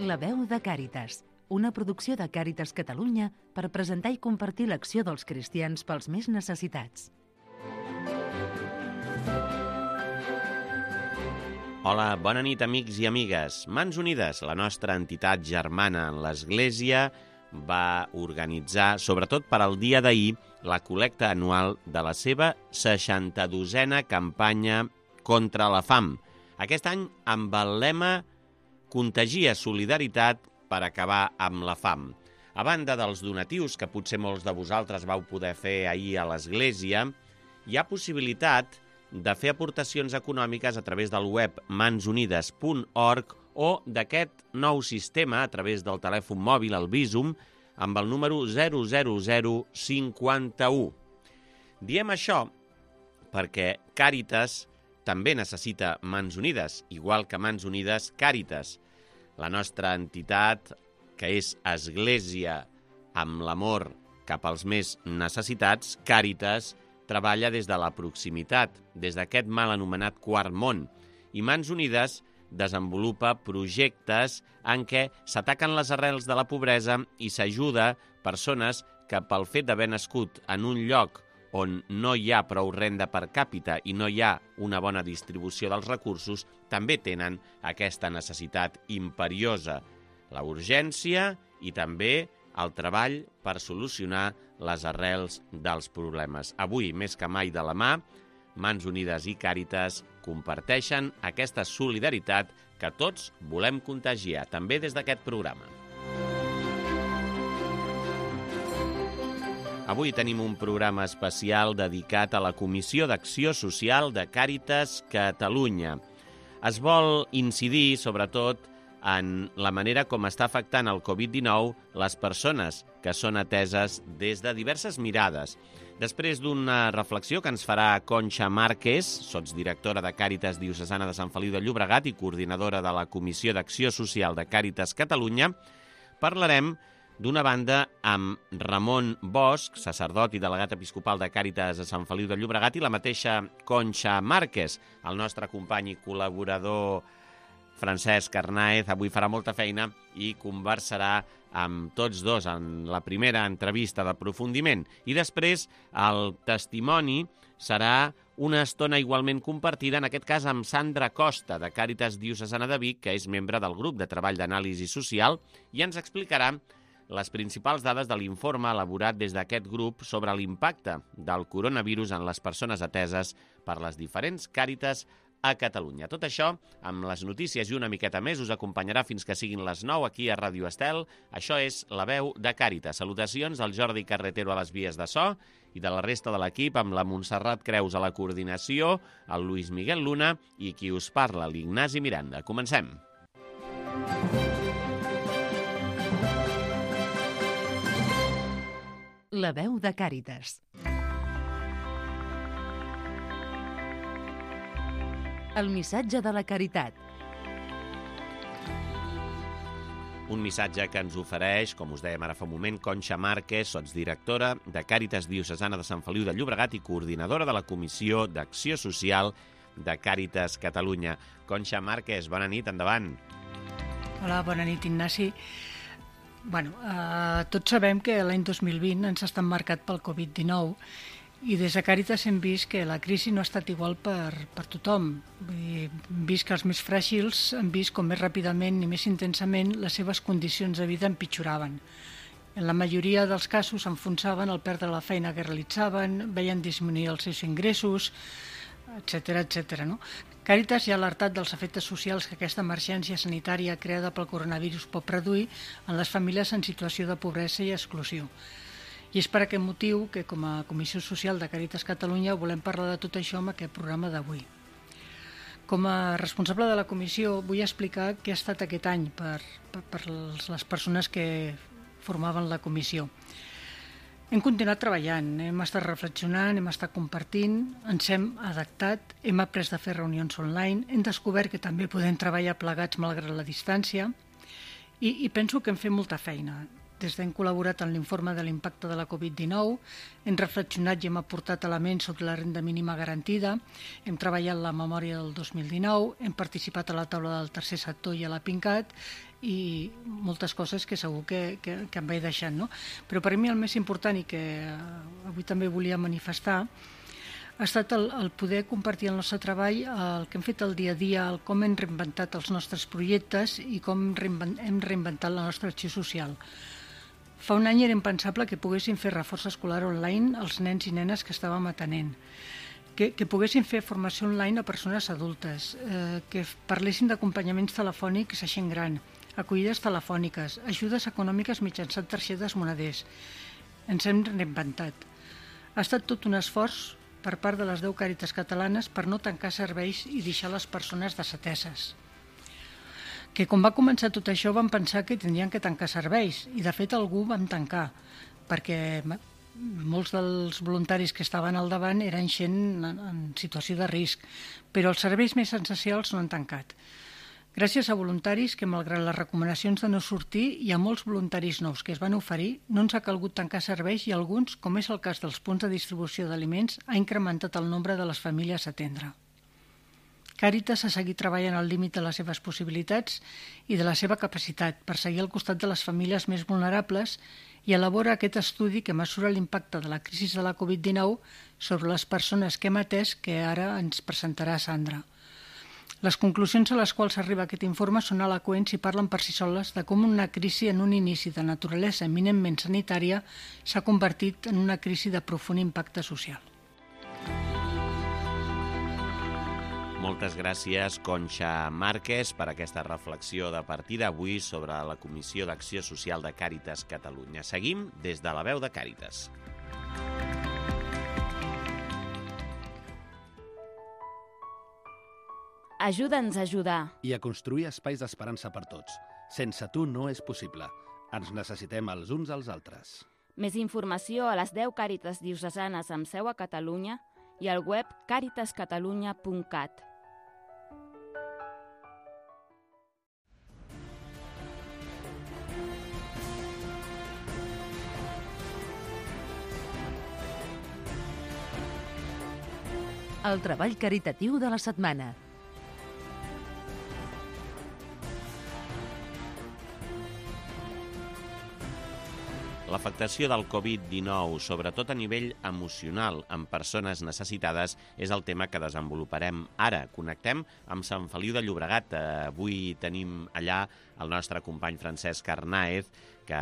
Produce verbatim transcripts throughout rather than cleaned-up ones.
La veu de Càritas, una producció de Càritas Catalunya per presentar i compartir l'acció dels cristians pels més necessitats. Hola, bona nit, amics i amigues. Mans Unides, la nostra entitat germana en l'Església, va organitzar, sobretot per al dia d'ahir, la col·lecta anual de la seva seixanta-dosena campanya contra la fam. Aquest any amb el lema Contagia solidaritat per acabar amb la fam. A banda dels donatius, que potser molts de vosaltres vau poder fer ahir a l'Església, hi ha possibilitat de fer aportacions econòmiques a través del web mans unides punt org o d'aquest nou sistema a través del telèfon mòbil, el Bizum, amb el número zero zero zero cinquanta-u. Diem això perquè Càritas també necessita Mans Unides, igual que Mans Unides Càritas. La nostra entitat, que és Església amb l'amor cap als més necessitats, Càritas, treballa des de la proximitat, des d'aquest mal anomenat quart món, i Mans Unides desenvolupa projectes en què s'ataquen les arrels de la pobresa i s'ajuda persones que pel fet d'haver nascut en un lloc on no hi ha prou renda per càpita i no hi ha una bona distribució dels recursos, també tenen aquesta necessitat imperiosa, la urgència i també el treball per solucionar les arrels dels problemes. Avui, més que mai de la mà, Mans Unides i Càritas comparteixen aquesta solidaritat que tots volem contagiar, també des d'aquest programa. Avui tenim un programa especial dedicat a la Comissió d'Acció Social de Càritas Catalunya. Es vol incidir, sobretot, en la manera com està afectant el covid dinou les persones que són ateses des de diverses mirades. Després d'una reflexió que ens farà Conxa Márquez, sotsdirectora de Càritas Diocesana de Sant Feliu de Llobregat i coordinadora de la Comissió d'Acció Social de Càritas Catalunya, parlarem d'una banda amb Ramon Bosch, sacerdot i delegat episcopal de Càritas a Sant Feliu de Llobregat, i la mateixa Conxa Márquez, el nostre company i col·laborador Francesc Arnaez. Avui farà molta feina i conversarà amb tots dos en la primera entrevista d'aprofundiment. I després el testimoni serà una estona igualment compartida, en aquest cas amb Sandra Costa, de Càritas Diocesana de Vic, que és membre del grup de treball d'anàlisi social, i ens explicarà les principals dades de l'informe elaborat des d'aquest grup sobre l'impacte del coronavirus en les persones ateses per les diferents Càritas a Catalunya. Tot això, amb les notícies i una miqueta més, us acompanyarà fins que siguin les nou aquí a Ràdio Estel. Això és La veu de Càritas. Salutacions al Jordi Carretero a les vies de so i de la resta de l'equip, amb la Montserrat Creus a la coordinació, el Luis Miguel Luna i qui us parla, l'Ignasi Miranda. Comencem. La veu de Càritas. El missatge de la caritat. Un missatge que ens ofereix, com us dèiem ara fa un moment, Conxa Márquez, sotsdirectora de Càritas Diocesana de Sant Feliu de Llobregat i coordinadora de la Comissió d'Acció Social de Càritas Catalunya. Conxa Márquez, bona nit, endavant. Hola, bona nit, Ignasi. Bueno, eh, tots sabem que l'any dos mil vint ens ha estat marcat pel covid dinou i des de Càritas hem vist que la crisi no ha estat igual per, per tothom. Hem vist que els més fràgils han vist com més ràpidament i més intensament les seves condicions de vida empitjoraven. En la majoria dels casos s'enfonsaven al perdre la feina que realitzaven, veien disminuir els seus ingressos, etcètera, etcètera, no? Càritas ja ha alertat dels efectes socials que aquesta emergència sanitària creada pel coronavirus pot produir en les famílies en situació de pobresa i exclusió. I és per aquest motiu que, com a Comissió Social de Càritas Catalunya, volem parlar de tot això en aquest programa d'avui. Com a responsable de la comissió, vull explicar què ha estat aquest any per, per, per les persones que formaven la comissió. Hem continuat treballant, hem estat reflexionant, hem estat compartint, ens hem adaptat, hem après de fer reunions online, hem descobert que també podem treballar plegats malgrat la distància i, i penso que hem fet molta feina. des d'hem col·laborat en l'informe de l'impacte de la covid dinou, hem reflexionat i hem aportat elements sobre la renda mínima garantida, hem treballat la memòria del dos mil dinou, hem participat a la taula del tercer sector i a la PINCAT, i moltes coses que segur que, que, que em vaig deixant, no? Però per mi el més important i que avui també volia manifestar ha estat el, el poder compartir el nostre treball, el que hem fet el dia a dia, el com hem reinventat els nostres projectes i com hem reinventat la nostra acció social. Fa un any era impensable que poguessin fer reforç escolar online als nens i nenes que estàvem atenent, que, que poguessin fer formació online a persones adultes, eh, que parlessin d'acompanyaments telefònics a gent gran, acollides telefòniques, ajudes econòmiques mitjançant targetes moneders. Ens hem reinventat. Ha estat tot un esforç per part de les deu Càritas catalanes per no tancar serveis i deixar les persones desateses. Que quan va començar tot això vam pensar que tindrien que tancar serveis i de fet algú vam tancar perquè molts dels voluntaris que estaven al davant eren gent en situació de risc, però els serveis més essencials no han tancat. Gràcies a voluntaris que, malgrat les recomanacions de no sortir, hi ha molts voluntaris nous que es van oferir, no ens ha calgut tancar serveis i alguns, com és el cas dels punts de distribució d'aliments, ha incrementat el nombre de les famílies a atendre. Càritas ha seguit treballant al límit de les seves possibilitats i de la seva capacitat per seguir al costat de les famílies més vulnerables i elabora aquest estudi que mesura l'impacte de la crisi de la covid dinou sobre les persones que hem atès que ara ens presentarà Sandra. Les conclusions a les quals arriba aquest informe són eloqüents i parlen per si soles de com una crisi en un inici de naturalesa eminentment sanitària s'ha convertit en una crisi de profund impacte social. Moltes gràcies, Conxa Márquez, per aquesta reflexió de partida avui sobre la Comissió d'Acció Social de Càritas Catalunya. Seguim des de la veu de Càritas. Ajuda'ns a ajudar. I a construir espais d'esperança per tots. Sense tu no és possible. Ens necessitem els uns als altres. Més informació a les deu Càritas diocesanes amb seu a Catalunya i al web càritas catalunya punt cat. El treball caritatiu de la setmana. L'afectació del covid dinou, sobretot a nivell emocional en persones necessitades, és el tema que desenvoluparem ara. Connectem amb Sant Feliu de Llobregat. Avui tenim allà el nostre company Francesc Arnáez, que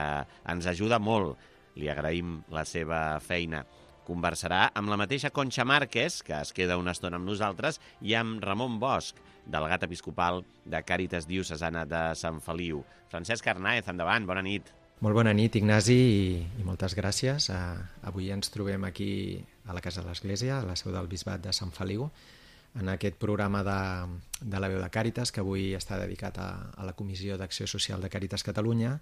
ens ajuda molt. Li agraïm la seva feina. Conversarà amb la mateixa Conxa Márquez, que es queda una estona amb nosaltres, i amb Ramon Bosch, delegat episcopal de Càritas Diocesana de Sant Feliu. Francesc Arnáez, endavant, bona nit. Molt bona nit, Ignasi, i, i moltes gràcies. Uh, avui ens trobem aquí a la Casa de l'Església, a la seu del Bisbat de Sant Feliu, en aquest programa de, de la veu de Càritas, que avui està dedicat a, a la Comissió d'Acció Social de Càritas Catalunya,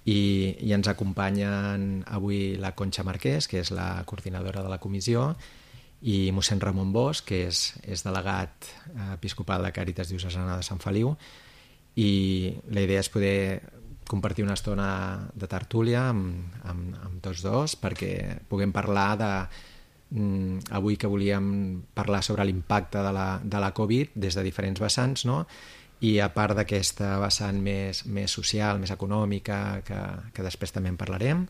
i, i ens acompanyen avui la Conxa Márquez, que és la coordinadora de la comissió, i mossèn Ramon Bosch, que és, és delegat episcopal de Càritas Diocesana de Sant Feliu, i la idea és poder compartir una estona de tertúlia amb, amb, amb tots dos perquè puguem parlar de mm, avui que volíem parlar sobre l'impacte de la, de la Covid des de diferents vessants, no? I a part d'aquesta vessant més, més social, més econòmica, que, que després també en parlarem,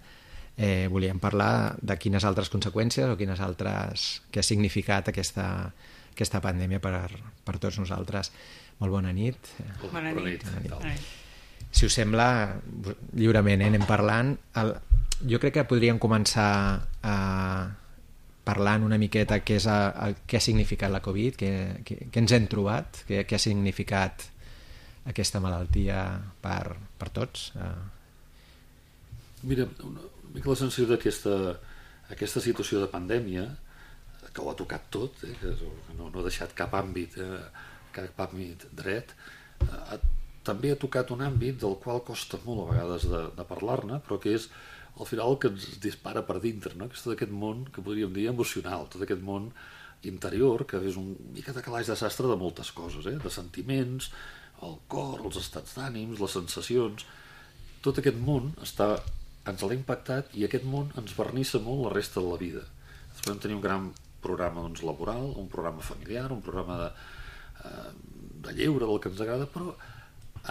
eh, volíem parlar de quines altres conseqüències o quines altres que ha significat aquesta, aquesta pandèmia per, per tots nosaltres. Molt bona nit. Bona nit. Bona nit. Bona nit. Si us sembla, lliurement eh, anem parlant. El, jo crec que podríem començar a parlant una miqueta què, és el, el, què ha significat la Covid, què, què, què ens hem trobat, què, què ha significat aquesta malaltia per, per tots. Mira, una mica la sensació d'aquesta aquesta situació de pandèmia, que ho ha tocat tot, eh, que no, no ha deixat cap àmbit, eh, cap àmbit dret, eh, també ha tocat un àmbit del qual costa molt a vegades de, de parlar-ne, però que és al final el que ens dispara per dintre, no? Que és tot aquest món que podríem dir emocional, tot aquest món interior, que és un mica de calaix de sastre de moltes coses, eh? De sentiments, el cor, els estats d'ànims, les sensacions, tot aquest món està, ens l'ha impactat i aquest món ens vernissa molt la resta de la vida. Podem tenir un gran programa doncs, laboral, un programa familiar, un programa de, eh, de lleure, del que ens agrada, però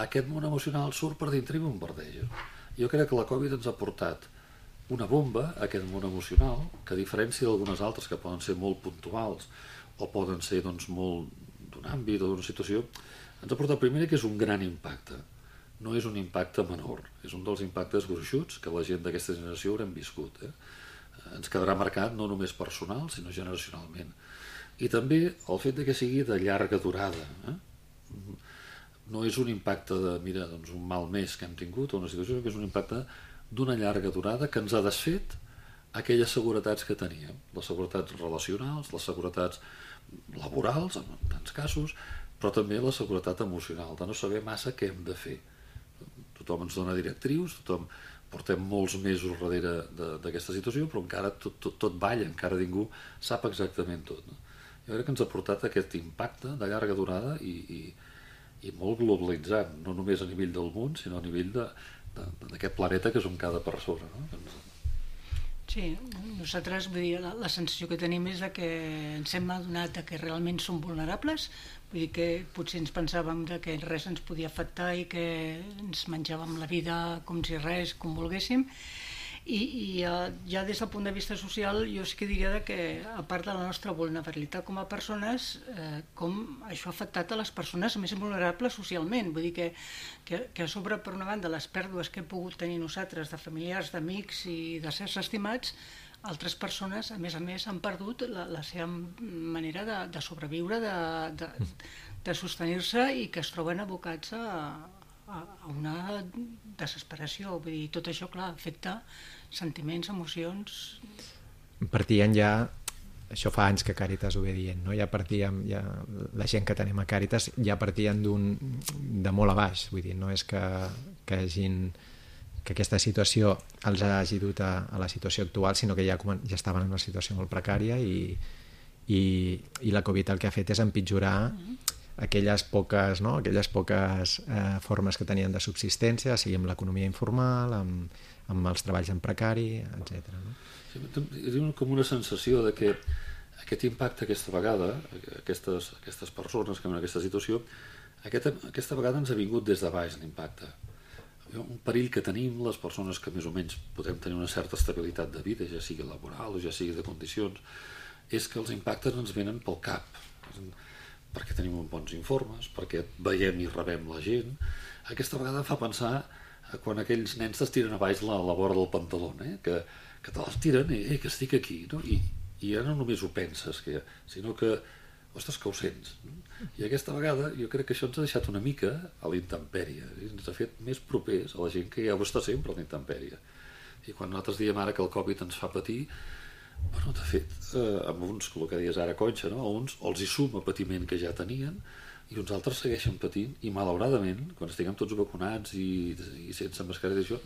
aquest món emocional surt per dintre i bombardeja. Jo crec que la Covid ens ha portat una bomba a aquest món emocional, que a diferència d'algunes altres que poden ser molt puntuals o poden ser doncs, molt d'un àmbit o d'una situació, ens ha portat primer que és un gran impacte. No és un impacte menor, és un dels impactes gruixuts que la gent d'aquesta generació haurem viscut. Eh? Ens quedarà marcat no només personal, sinó generacionalment. I també el fet de que sigui de llarga durada. Eh? No és un impacte de, mira, doncs un mal mes que hem tingut o una situació, que és un impacte d'una llarga durada que ens ha desfet aquelles seguretats que teníem, les seguretats relacionals, les seguretats laborals, en tants casos, però també la seguretat emocional, de no saber massa què hem de fer. Tothom ens dona directrius, tothom portem molts mesos darrere d'aquesta situació, però encara tot, tot, tot balla, encara ningú sap exactament tot. No? Jo crec que ens ha portat aquest impacte de llarga durada i, i, i molt globalitzant, no només a nivell del món, sinó a nivell d'aquest planeta que som cada persona. No? Sí, nosaltres, vull dir, la, la sensació que tenim és que ens hem adonat que realment som vulnerables, vull dir que potser ens pensàvem que res ens podia afectar i que ens menjàvem la vida com si res, com volguéssim, i, i ja des del punt de vista social jo sí que diria que a part de la nostra vulnerabilitat com a persones, eh, com això ha afectat a les persones més vulnerables socialment, vull dir que, que, que a sobre, per una banda, les pèrdues que hem pogut tenir nosaltres de familiars, d'amics i de certs estimats, altres persones, a més a més, han perdut la, la seva manera de, de sobreviure, de, de, de sostenir-se i que es troben abocats a, a, a una desesperació. Vull dir, tot això, clar, afecta sentiments, emocions... Partien ja, això fa anys que Càritas ho ve dient, no? Ja partíem, ja, la gent que tenim a Càritas ja partien d'un, de molt a baix, vull dir, no és que, que hagin... que aquesta situació els hagi dut a, a la situació actual, sinó que ja, ja estaven en una situació molt precària i, i, i la Covid el que ha fet és empitjorar aquelles poques, no? aquelles poques eh, formes que tenien de subsistència, sigui amb l'economia informal, amb, amb els treballs en precari, etcètera. No? Sí, és com una sensació de que aquest impacte aquesta vegada, aquestes, aquestes persones que en aquesta situació, aquesta, aquesta vegada ens ha vingut des de baix l'impacte. Un perill que tenim les persones que més o menys podem tenir una certa estabilitat de vida, ja sigui laboral o ja sigui de condicions, és que els impactes ens venen pel cap, perquè tenim bons informes, perquè veiem i rebem la gent. Aquesta vegada fa pensar quan aquells nens t'estiren a baix la, la vora del pantaló, eh? que, que te les tiren i eh, que estic aquí, no? I, i ja no només ho penses, que, sinó que ostres, que ho sents. I aquesta vegada jo crec que això ens ha deixat una mica a la intempèrie, ens ha fet més propers a la gent que ja ho està sempre a la intempèrie. I quan nosaltres diem ara que el Covid ens fa patir, bueno, de fet, eh, amb uns, el que deies ara, Conxa, no? A uns els hi suma patiment que ja tenien i uns altres segueixen patint i malauradament, quan estiguem tots vacunats i, i sense mascareta i això,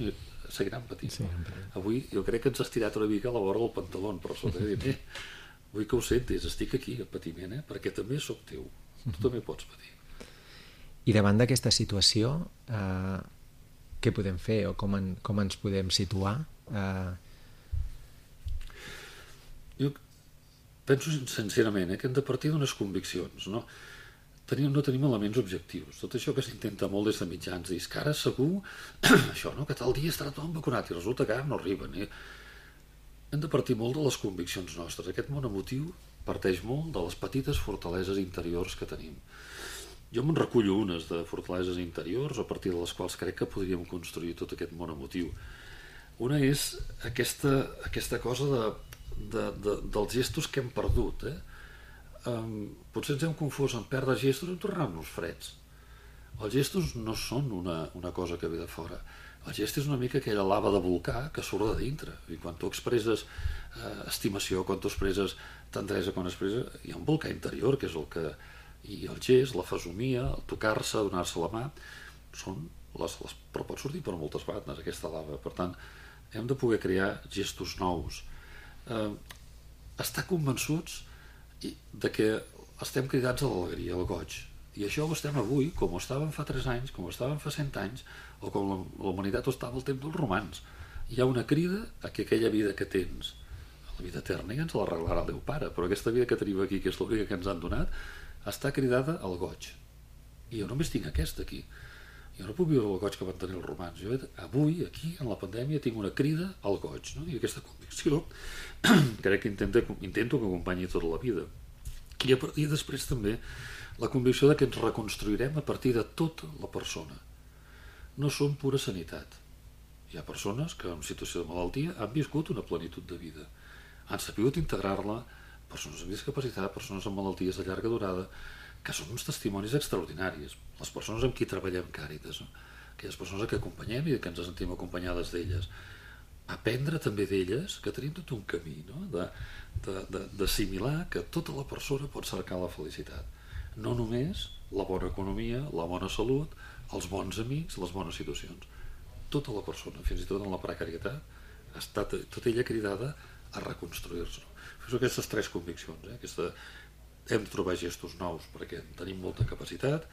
seguiran patint. Sí, no? Avui jo crec que ens ha estirat una mica a la vora del pantaló per sota, eh? Dir, eh, vull que ho sentis, estic aquí a patiment, eh? Perquè també sóc teu, tu també pots patir. I davant d'aquesta situació, eh, què podem fer o com, en, com ens podem situar? Eh... Jo penso sincerament eh, que hem de partir d'unes conviccions, no? Tenim, no tenim elements objectius. Tot això que s'intenta molt des de mitjans, dir que ara segur això, no? Que tal dia estarà tothom vacunat i resulta que ara no arriben, eh? Hem de partir molt de les conviccions nostres. Aquest món emotiu parteix molt de les petites fortaleses interiors que tenim. Jo me'n recullo unes de fortaleses interiors a partir de les quals crec que podríem construir tot aquest món emotiu. Una és aquesta, aquesta cosa de, de, de, dels gestos que hem perdut. Eh? Um, potser ens hem confós en perdre gestos i en tornar-nos freds. Els gestos no són una, una cosa que ve de fora. El gest és una mica aquella lava de volcà que surt de dintre. I quan tu expresses eh, estimació, quan tu expresses tendresa, quan expresses... Hi ha un volcà interior, que és el que... I el gest, la fesomia, el tocar-se, donar-se la mà, són les, les... però pot sortir per moltes bandes, aquesta lava. Per tant, hem de poder crear gestos nous. Eh, estar convençuts de que estem cridats a l'alegria, al goig. I això ho estem avui, com ho estàvem fa tres anys, com ho estàvem fa cent anys, o com la, la humanitat ho estava al temps dels romans. Hi ha una crida a que aquella vida que tens, la vida eterna, ja ens l'arreglarà el Déu Pare, però aquesta vida que tenim aquí, que és l'única que ens han donat, està cridada al goig. I jo només tinc aquesta aquí. Jo no puc viure el goig que van tenir els romans. Jo avui, aquí, en la pandèmia, tinc una crida al goig, no? I aquesta convicció crec que intento, intento que acompanyi tota la vida. I, a partir després també la convicció de que ens reconstruirem a partir de tota la persona. No som pura sanitat. Hi ha persones que en situació de malaltia han viscut una plenitud de vida. Han sabut integrar-la, persones amb discapacitat, persones amb malalties de llarga durada, que són uns testimonis extraordinaris. Les persones amb qui treballem Càritas, no? Aquelles persones que acompanyem i que ens sentim acompanyades d'elles. Aprendre també d'elles que tenim tot un camí, no? D'assimilar que tota la persona pot cercar la felicitat. No només la bona economia, la bona salut, els bons amics, les bones situacions. Tota la persona, fins i tot en la precarietat, ha estat tota ella cridada a reconstruir-se. Són aquestes tres conviccions. Eh? Aquesta... Hem de trobar gestos nous perquè tenim molta capacitat,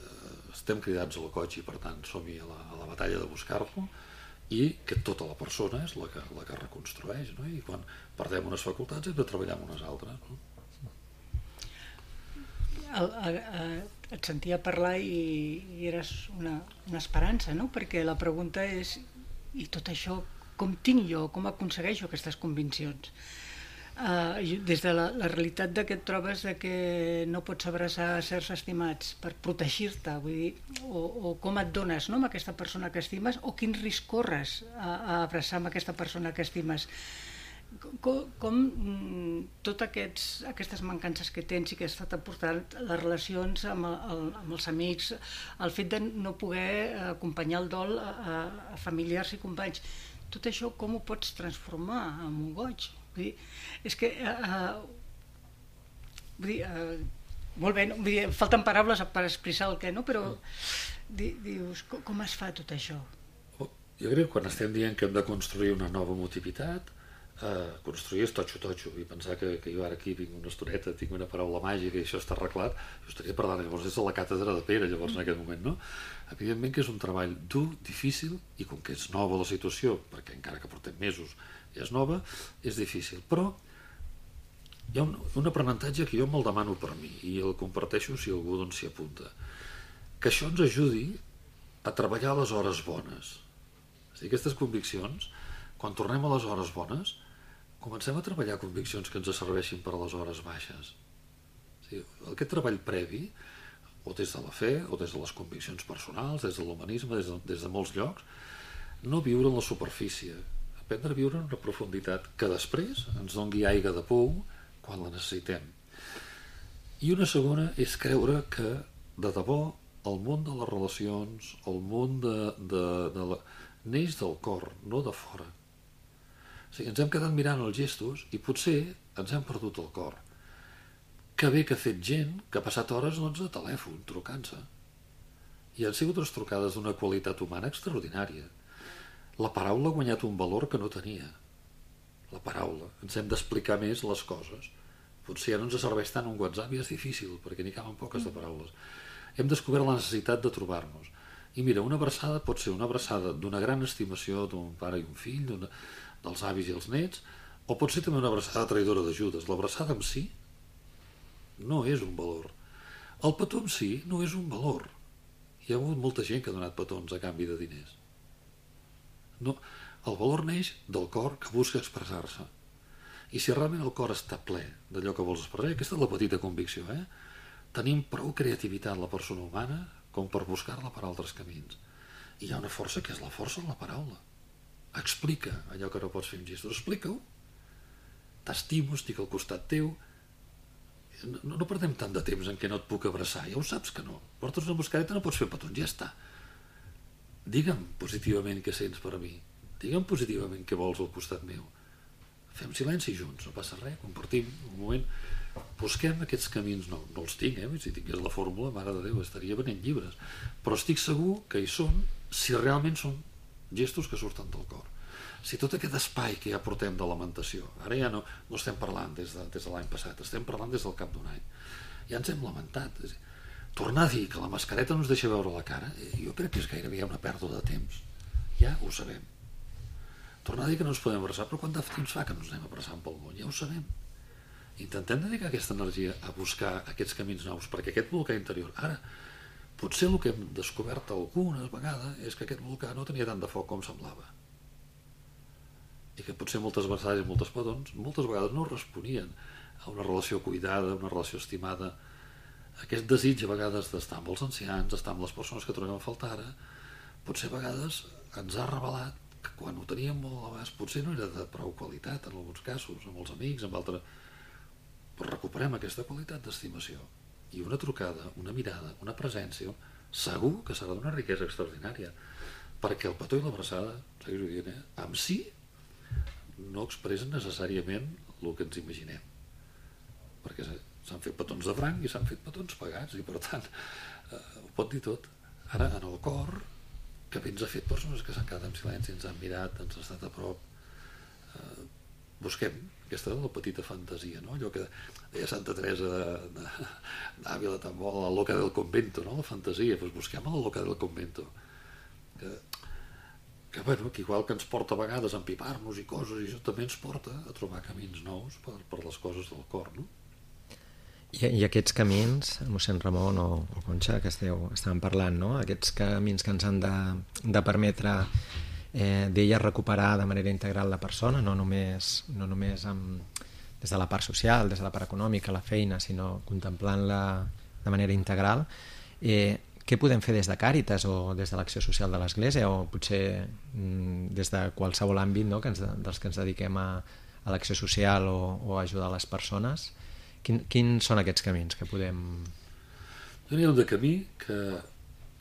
eh, estem cridats al goig i per tant som-hi a, la, a la batalla de buscar-lo, i que tota la persona és la que, la que reconstrueix, no? I quan perdem unes facultats hem de treballar amb unes altres, no? El, el, el, et sentia parlar i, i eres una, una esperança, no? Perquè la pregunta és, i tot això, com tinc jo, com aconsegueixo aquestes conviccions? Uh, des de la, la realitat de que et trobes de que no pots abraçar certs estimats per protegir-te, vull dir, o, o com et dones, no, amb aquesta persona que estimes, o quin risc corres a, a abraçar amb aquesta persona que estimes. Com, com totes aquests, aquestes mancances que tens i que has estat aportant, les relacions amb, el, amb els amics, el fet de no poder acompanyar el dol a, a familiars i companys, tot això com ho pots transformar en un goig? Vull dir, és que uh, vull dir, uh, molt bé, no? Vull dir, falten paraules per expressar el què, no? Però di, dius, com, com es fa tot això? Jo crec que quan estem dient que hem de construir una nova motivitat, eh, construir és totxo-totxo, i pensar que, que jo ara aquí vinc una estoneta, tinc una paraula màgica i això està arreglat, jo estaria parlant llavors des de la càtedra de Pere, llavors en aquest moment, no? Evidentment que és un treball dur, difícil, i com que és nova la situació, perquè encara que portem mesos i és nova, és difícil, però hi ha un, un aprenentatge que jo me'l demano per mi i el comparteixo si algú doncs s'hi apunta, que això ens ajudi a treballar les hores bones. És a dir, aquestes conviccions, quan tornem a les hores bones, comencem a treballar conviccions que ens serveixin per a les hores baixes. És a dir, aquest treball previ, o des de la fe, o des de les conviccions personals, des de l'humanisme, des de, des de molts llocs, no viure en la superfície, aprendre a viure en una profunditat que després ens doni aigua de pou quan la necessitem. I una segona és creure que de debò el món de les relacions, el món de, de, de la... neix del cor, no de fora. O sigui, ens hem quedat mirant els gestos i potser ens hem perdut el cor. Que bé que ha fet gent que ha passat hores doncs, de telèfon trucant-se. I han sigut unes trucades d'una qualitat humana extraordinària. La paraula ha guanyat un valor que no tenia. La paraula. Ens hem d'explicar més les coses. Potser ja no ens serveix tant un WhatsApp i és difícil, perquè n'hi caben poques de paraules. Hem descobert la necessitat de trobar-nos. I mira, una abraçada pot ser una abraçada d'una gran estimació d'un pare i un fill, dels avis i els nets, o pot ser també una abraçada traïdora d'ajudes. L'abraçada en si no és un valor. El petó en si no és un valor. Hi ha hagut molta gent que ha donat petons a canvi de diners. No, el valor neix del cor que busca expressar-se. I si realment el cor està ple d'allò que vols expressar, aquesta és la petita convicció, eh? Tenim prou creativitat la persona humana com per buscar-la per altres camins. I hi ha una força que és la força de la paraula. Explica allò que no pots fer amb gestos, explica-ho. T'estimo, estic al costat teu. No, no perdem tant de temps en què no et puc abraçar, ja ho saps que no. Portes una mascareta, no pots fer petons, ja està. Digue'm positivament què sents per a mi. Digue'm positivament què vols al costat meu. Fem silenci junts, no passa res, compartim un moment. Busquem aquests camins, no, no els tinc, eh? Si tingués la fórmula, mare de Déu, estaria venent llibres. Però estic segur que hi són si realment són gestos que surten del cor. Si tot aquest espai que ja portem de lamentació, ara ja no, no estem parlant des de, des de l'any passat, estem parlant des del cap d'un any. Ja ens hem lamentat. tornar a dir que la mascareta no ens deixa veure la cara, jo crec que és gairebé una pèrdua de temps. Ja ho sabem. Tornar a dir que no ens podem abraçar, però quant de temps fa que no ens anem abraçant pel món? Ja ho sabem. Intentem dedicar aquesta energia a buscar aquests camins nous, perquè aquest volcà interior, ara, potser el que hem descobert algunes vegades és que aquest volcà no tenia tant de foc com semblava. I que potser moltes vegades i moltes petons, moltes vegades no responien a una relació cuidada, a una relació estimada, aquest desig a vegades d'estar amb els ancians, d'estar amb les persones que trobem a faltar ara, potser a vegades ens ha revelat que quan ho teníem molt a l'abast potser no era de prou qualitat en alguns casos, amb els amics, amb altres, però recuperem aquesta qualitat d'estimació i una trucada, una mirada, una presència, segur que serà d'una riquesa extraordinària, perquè el petó i l'abraçada, segueixo dient, eh, amb si no expressen necessàriament el que ens imaginem, perquè s'han fet petons de franc i s'han fet petons pagats i per tant eh, ho pot dir tot. Ara en el cor, que bé ens ha fet persones que s'han quedat en silenci, ens han mirat, ens han estat a prop, eh, busquem aquesta la petita fantasia, no? Allò que deia Santa Teresa d'Àvila tan bo, la loca del convento, no? La fantasia, doncs busquem a la loca del convento, que, que, bueno, que igual que ens porta a vegades a empipar-nos i coses, i això també ens porta a trobar camins nous per, per les coses del cor, no? I, i aquests camins, mossèn Ramon o, o Conxa, que esteu, estàvem parlant, no? Aquests camins que ens han de, de permetre eh, d'ella recuperar de manera integral la persona, no només, no només amb, des de la part social, des de la part econòmica, la feina, sinó contemplant-la de manera integral. Eh, què podem fer des de Càritas o des de l'acció social de l'Església o potser mm, des de qualsevol àmbit, no? que ens, dels que ens dediquem a, a l'acció social o, o a ajudar les persones? Quin, quins són aquests camins que podem... Hi ha un de camí que,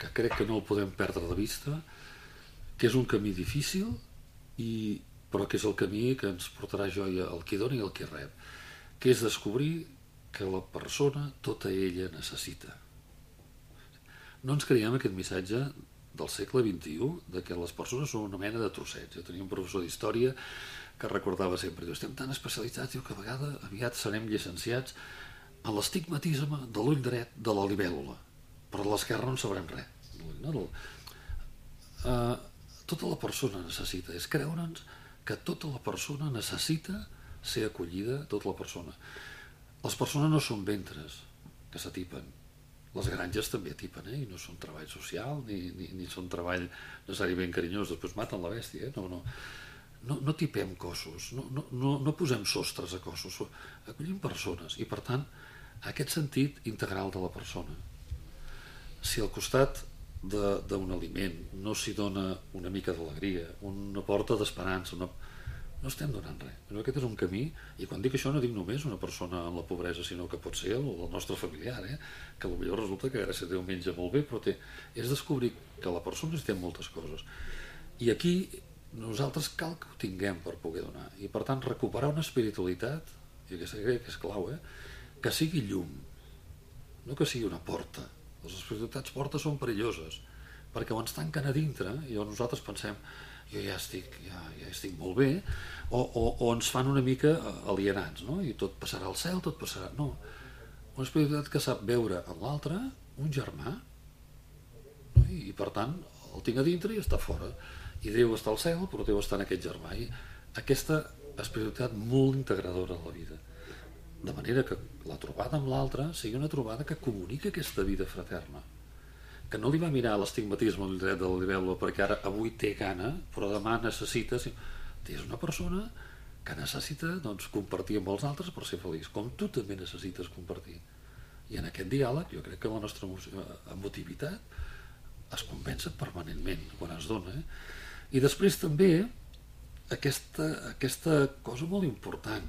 que crec que no el podem perdre de vista, que és un camí difícil, i, però que és el camí que ens portarà joia al qui dona i al qui rep, que és descobrir que la persona tota ella necessita. No ens creiem aquest missatge del segle vint-i-u de que les persones són una mena de trossets. Jo tenia un professor d'història que recordava sempre, diu, estem tan especialitzats, diu, que a vegades aviat serem llicenciats en l'estigmatisme de l'ull dret de la libèl·lula, però de l'esquerra no en sabrem res. No? Uh, tota la persona necessita, és creure'ns que tota la persona necessita ser acollida, tota la persona. Les persones no són ventres que s'atipen, les granges també atipen, eh? I no són treball social ni, ni, ni són treball necessàriament carinyós, després maten la bèstia, eh? no, no. No, no tipem cossos, no, no, no, no posem sostres a cossos, acollim persones i per tant aquest sentit integral de la persona. Si al costat d'un aliment no s'hi dona una mica d'alegria, una porta d'esperança, no, no estem donant res. Però aquest és un camí, i quan dic això no dic només una persona en la pobresa, sinó que pot ser el, el nostre familiar, eh? Que potser resulta que gràcies a Déu menja molt bé, però té, és descobrir que la persona necessita moltes coses. I aquí nosaltres cal que ho tinguem per poder donar, i per tant recuperar una espiritualitat, i aquesta crec que és clau, eh? Que sigui llum, no que sigui una porta. Les espiritualitats portes són perilloses perquè ho ens tanquen a dintre i nosaltres pensem jo ja estic, ja, ja estic molt bé, o, o, o ens fan una mica alienats, no? I tot passarà al cel, tot passarà... No, una espiritualitat que sap veure en l'altre un germà, no? I, i per tant el tinc a dintre i està fora. I Déu està al cel, però Déu està en aquest germà. I aquesta espiritualitat molt integradora de la vida. De manera que la trobada amb l'altre sigui una trobada que comunica aquesta vida fraterna. Que no li va mirar l'estigmatisme al dret de la libèl·lula perquè ara avui té gana, però demà necessita... És una persona que necessita doncs, compartir amb els altres per ser feliç, com tu també necessites compartir. I en aquest diàleg jo crec que la nostra emotivitat es compensa permanentment quan es dona, eh? I després també aquesta, aquesta cosa molt important,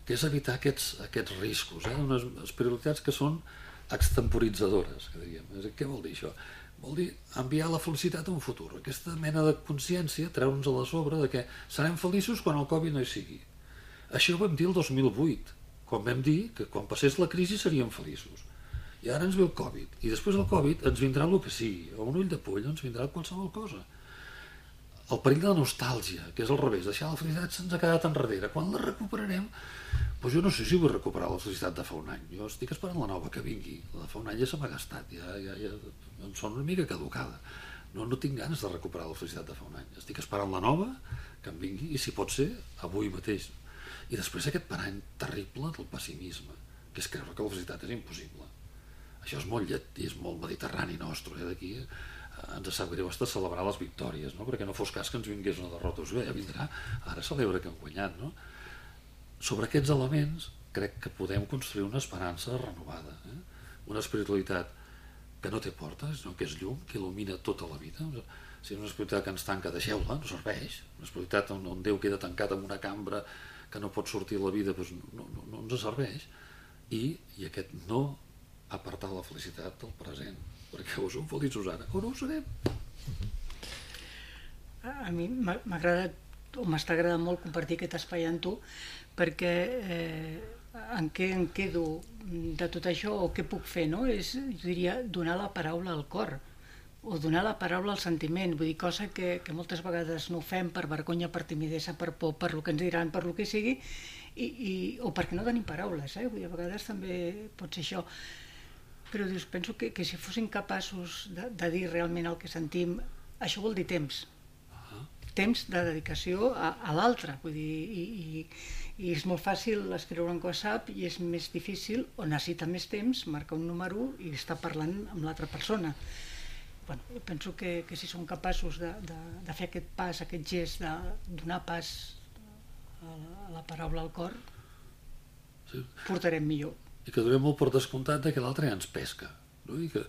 que és evitar aquests, aquests riscos, eh? Unes espiritualitats que són extemporitzadores, que diríem. Què vol dir això? Vol dir enviar la felicitat a un futur, aquesta mena de consciència, treure'ns a la sobre de que serem feliços quan el Covid no hi sigui. Això ho vam dir el dos mil vuit, quan vam dir que quan passés la crisi seríem feliços. I ara ens ve el Covid, i després del Covid ens vindrà el que sigui, o un ull de poll, ens vindrà qualsevol cosa. el perill de la nostàlgia, que és al revés, deixar la felicitat se'ns ha quedat enrere. Quan la recuperarem, doncs jo no sé si vull recuperar la felicitat de fa un any. Jo estic esperant la nova que vingui. La de fa un any ja se m'ha gastat, ja, ja, ja em sona una mica caducada. No, no tinc ganes de recuperar la felicitat de fa un any. Estic esperant la nova, que em vingui, i si pot ser, avui mateix. I després aquest parany terrible del pessimisme, que és creure que la felicitat és impossible. Això és molt lletí, és molt mediterrani nostre, eh? D'aquí eh, ens sap greu hasta celebrar les victòries, no? Perquè no fos cas que ens vingués una derrota. Bé, ja vindrà, ara celebra que hem guanyat, no? Sobre aquests elements crec que podem construir una esperança renovada, eh? Una espiritualitat que no té portes, sinó que és llum, que il·lumina tota la vida. Si és una espiritualitat que ens tanca, deixeu-la, no serveix. Una espiritualitat on, on Déu queda tancat en una cambra que no pot sortir la vida, doncs no, no, no ens serveix. I, i aquest no apartar la felicitat del present, perquè o som feliços ara o no ho serem. A mi m'agrada, o m'està agradant molt compartir aquest espai amb tu, perquè eh, en què em quedo de tot això o què puc fer, no? És, jo diria, donar la paraula al cor o donar la paraula al sentiment, vull dir, cosa que, que moltes vegades no fem per vergonya, per timidesa, per por, per lo que ens diran, per lo que sigui, i, i, o perquè no tenim paraules, eh? Vull dir, a vegades també pot ser això. Però dius, penso que, que si fossin capaços de, de dir realment el que sentim, això vol dir temps. Temps de dedicació a, a l'altre, vull dir, i, i, i és molt fàcil escriure un WhatsApp i és més difícil, o necessita més temps, marcar un número i estar parlant amb l'altra persona. Bueno, jo penso que, que si som capaços de, de, de fer aquest pas, aquest gest, de donar pas a la, a la paraula al cor, sí, portarem millor. I que donem molt per descomptat que l'altre ja ens pesca, no? I que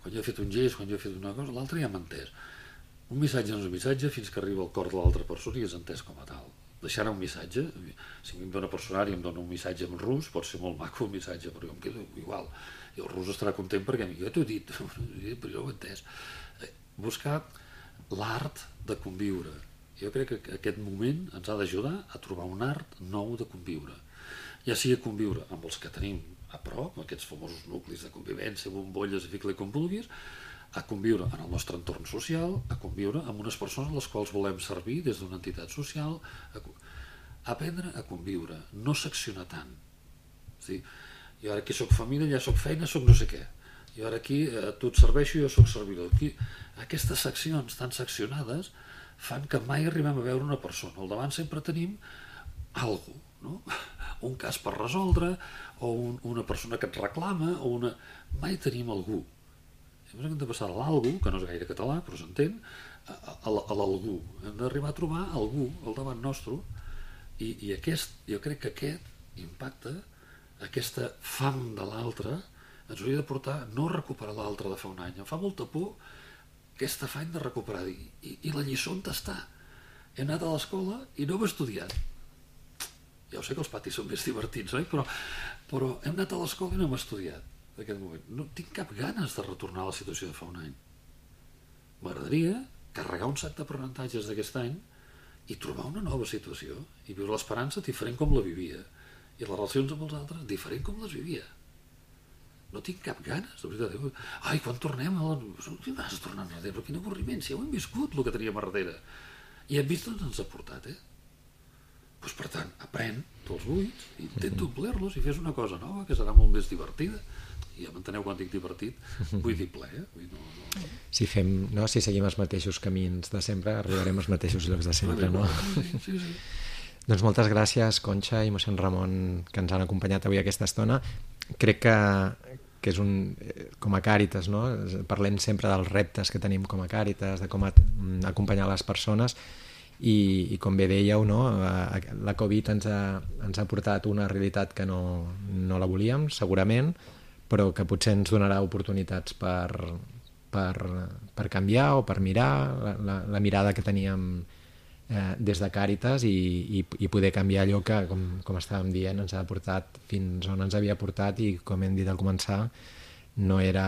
quan jo he fet un gest, quan jo he fet una cosa, l'altre ja m'ha entès. Un missatge no és un missatge fins que arriba al cor de l'altra persona i és entès com a tal. Deixar un missatge, si a mi em dona personal i em dona un missatge en rus, pot ser molt maco un missatge, però jo em quedo igual. I el rus estarà content perquè jo t'ho he dit, però jo ho he entès. Buscar l'art de conviure. Jo crec que aquest moment ens ha d'ajudar a trobar un art nou de conviure. Ja sigui conviure amb els que tenim a prop, aquests famosos nuclis de convivència, bombolles, fica-li com vulguis, a conviure en el nostre entorn social, a conviure amb unes persones a les quals volem servir des d'una entitat social, a, a aprendre a conviure, no seccionar tant. És dir, jo ara aquí soc família, ja soc feina, soc no sé què. Jo ara aquí a tu et serveixo, jo soc servidor. Aquí, aquestes seccions tan seccionades fan que mai arribem a veure una persona. Al davant sempre tenim algú, no? Un cas per resoldre, o un, una persona que et reclama, o una... mai tenim algú. Hem de passar a l'algú, que no és gaire català, però s'entén, a, a, a l'algú. Hem d'arribar a trobar algú al davant nostre, i, i aquest, jo crec que aquest impacte, aquesta fam de l'altre, ens hauria de portar no a recuperar l'altre de fa un any. Em fa molta por aquest afany de recuperar. I, i, i la lliçó on està? He anat a l'escola i no hem estudiat. Ja ho sé que els patis són més divertits, oi? Però, però hem anat a l'escola i no hem estudiat. D'aquest moment. No tinc cap ganes de retornar a la situació de fa un any. M'agradaria carregar un sac d'aprenentatges d'aquest any i trobar una nova situació i viure l'esperança diferent com la vivia i les relacions amb els altres diferent com les vivia. No tinc cap ganes, de veritat. Ai, quan tornem a la... No tinc ganes de tornar enrere, però quin avorriment, si ja ho hem viscut, el que teníem a darrere. I hem vist on ens ha portat, eh? Doncs, per tant, aprèn tots els buits, intenta omplir-los i fes una cosa nova que serà molt més divertida. I ja m'enteneu quan dic divertit, vull dir ple, eh? Vull no, no... Si, fem, no? si seguim els mateixos camins de sempre, arribarem als mateixos llocs de sempre, no? Sí, sí. Doncs moltes gràcies, Conxa i mossèn Ramon, que ens han acompanyat avui aquesta estona. Crec que, que és un... com a Càritas, no? Parlem sempre dels reptes que tenim com a Càritas, de com a, acompanyar les persones, i, i com bé dèieu, no? La Covid ens ha, ens ha portat una realitat que no, no la volíem, segurament, però que potser ens donarà oportunitats per, per, per canviar o per mirar la, la, la mirada que teníem eh, des de Càritas i, i, i poder canviar allò que, com, com estàvem dient, ens ha portat fins on ens havia portat i, com hem dit al començar, no era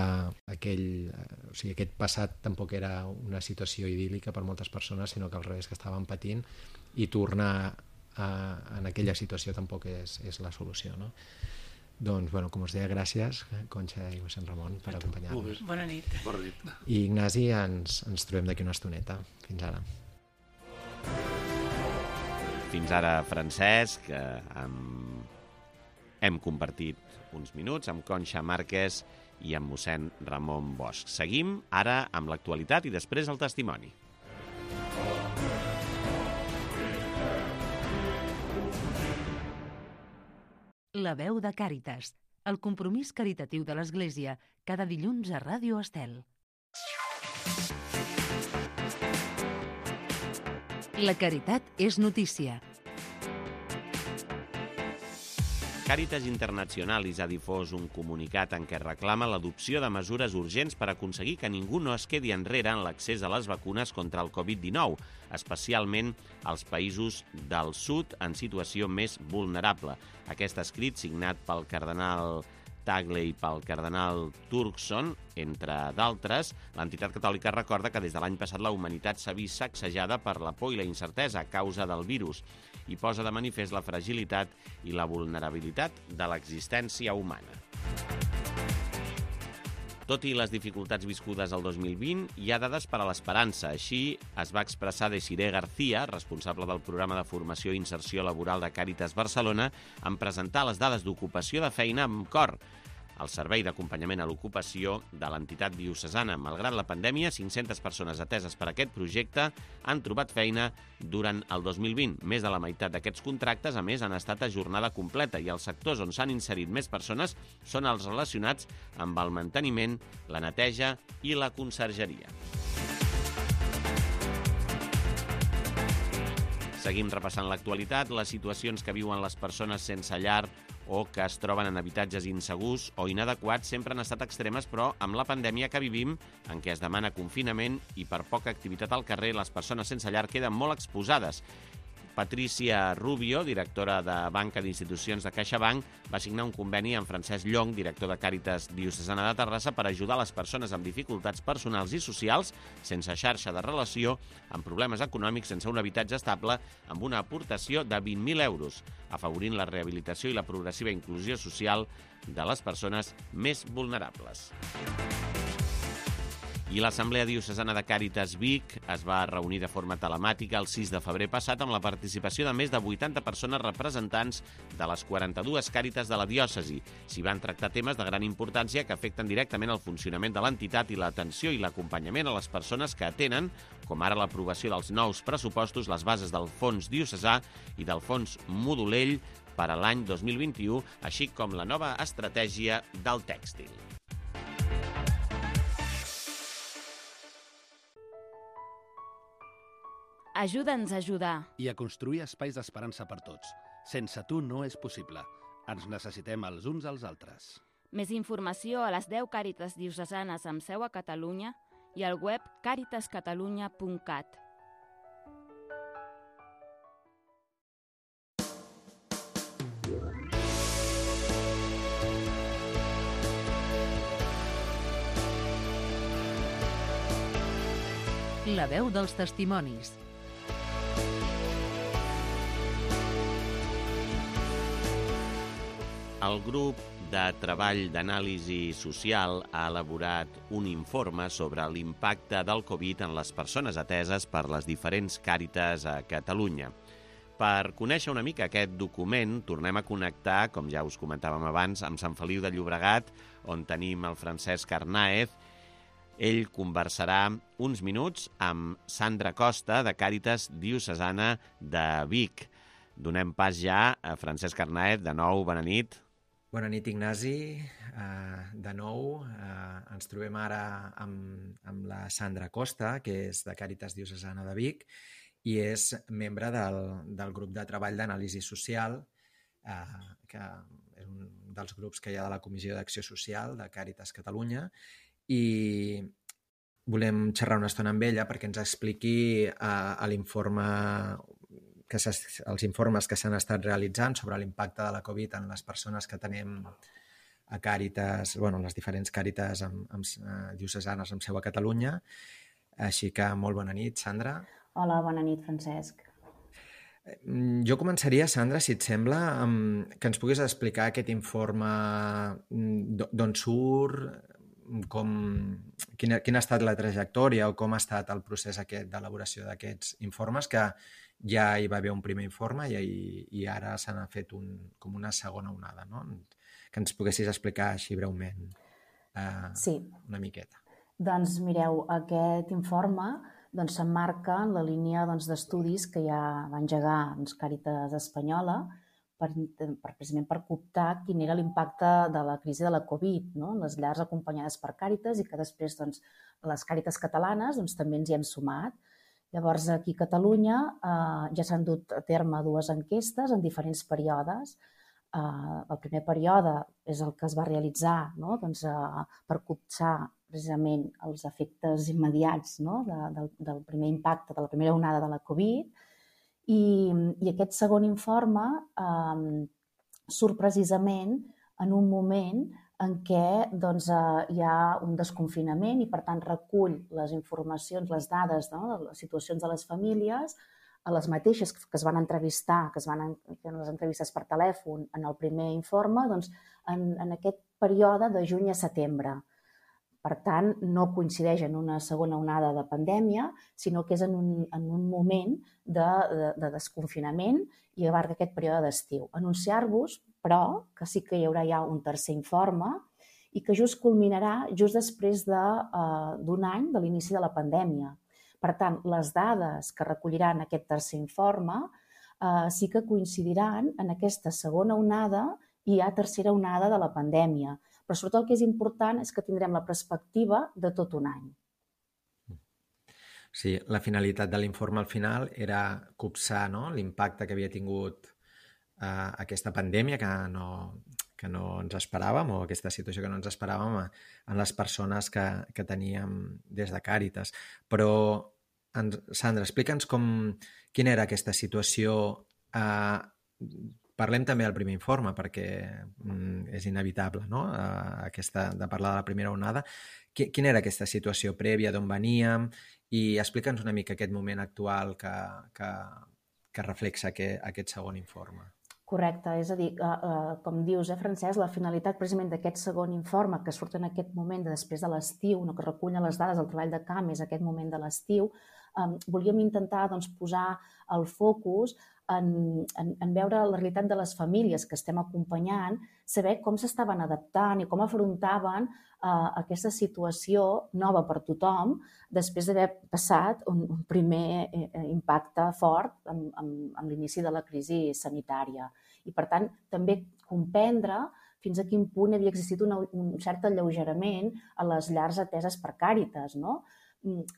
aquell... O sigui, aquest passat tampoc era una situació idíl·lica per moltes persones, sinó que al revés, que estaven patint, i tornar a, en aquella situació tampoc és, és la solució, no? Doncs, bueno, com us deia, gràcies, Conxa i mossèn Ramon, per acompanyar-nos. Bona nit. Bona nit. I Ignasi, ens, ens trobem d'aquí una estoneta. Fins ara. Fins ara, Francesc, eh, amb... hem compartit uns minuts amb Conxa Márquez i amb mossèn Ramon Bosch. Seguim ara amb l'actualitat i després el testimoni. La veu de Càritas, el compromís caritatiu de l'Església, cada dilluns a Ràdio Estel. La caritat és notícia. Càritas Internacionalis ha difós un comunicat en què reclama l'adopció de mesures urgents per aconseguir que ningú no es quedi enrere en l'accés a les vacunes contra el covid dinou, especialment als països del sud en situació més vulnerable. Aquest escrit, signat pel cardenal Tagle i pel cardenal Turkson, entre d'altres, l'entitat catòlica recorda que des de l'any passat la humanitat s'ha vist sacsejada per la por i la incertesa a causa del virus i posa de manifest la fragilitat i la vulnerabilitat de l'existència humana. Tot i les dificultats viscudes al dos mil vint, hi ha dades per a l'esperança. Així es va expressar Desiré García, responsable del programa de formació i inserció laboral de Càritas Barcelona, en presentar les dades d'ocupació de feina amb cor, el servei d'acompanyament a l'ocupació de l'entitat diocesana. Malgrat la pandèmia, cinc-centes persones ateses per aquest projecte han trobat feina durant el dos mil vint. Més de la meitat d'aquests contractes, a més, han estat a jornada completa i els sectors on s'han inserit més persones són els relacionats amb el manteniment, la neteja i la consergeria. Seguim repassant l'actualitat, les situacions que viuen les persones sense llar o que es troben en habitatges insegurs o inadequats sempre han estat extremes, però amb la pandèmia que vivim, en què es demana confinament i per poca activitat al carrer, les persones sense llar queden molt exposades. Patricia Rubio, directora de Banca d'Institucions de CaixaBank, va signar un conveni amb Francesc Llong, director de Càritas Diocesana de Terrassa, per ajudar les persones amb dificultats personals i socials, sense xarxa de relació, amb problemes econòmics, sense un habitatge estable, amb una aportació de vint mil euros, afavorint la rehabilitació i la progressiva inclusió social de les persones més vulnerables. I l'Assemblea Diocesana de Càritas Vic es va reunir de forma telemàtica el sis de febrer passat amb la participació de més de vuitanta persones representants de les quaranta-dues càritas de la diòcesi. S'hi van tractar temes de gran importància que afecten directament el funcionament de l'entitat i l'atenció i l'acompanyament a les persones que atenen, com ara l'aprovació dels nous pressupostos, les bases del Fons Diocesà i del Fons Modulell per a l'any dos mil vint-i-u, així com la nova estratègia del tèxtil. Ajuda'ns a ajudar. I a construir espais d'esperança per tots. Sense tu no és possible. Ens necessitem els uns als altres. Més informació a les deu càritas diocesanes amb seu a Catalunya i al web càritas catalunya punt cat. La veu dels testimonis. El grup de treball d'anàlisi social ha elaborat un informe sobre l'impacte del Covid en les persones ateses per les diferents càritas a Catalunya. Per conèixer una mica aquest document, tornem a connectar, com ja us comentàvem abans, amb Sant Feliu de Llobregat, on tenim el Francesc Arnaez. Ell conversarà uns minuts amb Sandra Costa, de Càritas Diocesana de Vic. Donem pas ja a Francesc Arnaez. De nou, bona nit. Bona nit, Ignasi. Uh, de nou, uh, ens trobem ara amb, amb la Sandra Costa, que és de Càritas Diocesana de Vic i és membre del, del grup de treball d'anàlisi social, uh, que és un dels grups que hi ha de la Comissió d'Acció Social de Càritas Catalunya, i volem xerrar una estona amb ella perquè ens expliqui uh, l'informe que els informes que s'han estat realitzant sobre l'impacte de la Covid en les persones que tenim a Càritas, bueno, les diferents Càritas amb, amb, uh, diocesanes amb seu a Catalunya. Així que molt bona nit, Sandra. Hola, bona nit, Francesc. Jo començaria, Sandra, si et sembla, amb, que ens puguis explicar aquest informe, d'on surt, com, quina, quina ha estat la trajectòria o com ha estat el procés aquest d'elaboració d'aquests informes, que ja hi va haver un primer informe i, i ara se n'ha fet un, com una segona onada, no? Que ens poguessis explicar així breument eh, Sí. una miqueta. Doncs mireu, aquest informe doncs, s'emmarca en la línia doncs, d'estudis que ja va engegar doncs, Càritas Espanyola per, per, precisament per cooptar quin era l'impacte de la crisi de la Covid, no? Les llars acompanyades per Càritas i que després doncs, les Càritas catalanes doncs, també ens hi hem sumat. Llavors, aquí a Catalunya eh, ja s'han dut a terme dues enquestes en diferents períodes. Uh, el primer període és el que es va realitzar, no? doncs, uh, per copsar precisament els efectes immediats, no? de, del, del primer impacte, de la primera onada de la Covid. I, i aquest segon informe um, surt precisament en un moment en què doncs, uh, hi ha un desconfinament i, per tant, recull les informacions, les dades, no? Les situacions de les famílies, a les mateixes que es van entrevistar, que es van fer les entrevistes per telèfon en el primer informe, doncs en, en aquest període de juny a setembre. Per tant, no coincideix en una segona onada de pandèmia, sinó que és en un, en un moment de, de, de desconfinament i abarca aquest període d'estiu. Anunciar-vos, però, que sí que hi haurà ja un tercer informe i que just culminarà just després d'un de, uh, any de l'inici de la pandèmia. Per tant, les dades que recolliran aquest tercer informe eh, sí que coincidiran en aquesta segona onada i ja tercera onada de la pandèmia. Però sobretot el que és important és que tindrem la perspectiva de tot un any. Sí, la finalitat de l'informe al final era copsar, no?, l'impacte que havia tingut eh, aquesta pandèmia, que no, que no ens esperàvem, o aquesta situació que no ens esperàvem en les persones que, que teníem des de Càritas. Però, Sandra, explica'ns com, quina era aquesta situació. Eh, parlem també del primer informe, perquè mm, és inevitable, no?, eh, aquesta, de parlar de la primera onada. Quina era aquesta situació prèvia, d'on veníem? I explica'ns una mica aquest moment actual que, que, que reflexa aquest, aquest segon informe. Correcte, és a dir, eh, eh, com dius, eh, Francesc, la finalitat precisament d'aquest segon informe que surt en aquest moment de després de l'estiu, no, que recull les dades del treball de camp, és aquest moment de l'estiu, eh, volíem intentar doncs, posar el focus en, en, en veure la realitat de les famílies que estem acompanyant, saber com s'estaven adaptant i com afrontaven eh, aquesta situació nova per tothom després d'haver passat un, un primer eh, impacte fort amb, amb, amb l'inici de la crisi sanitària. I, per tant, també comprendre fins a quin punt havia existit una, un cert alleugerament a les llars ateses per Càritas, no?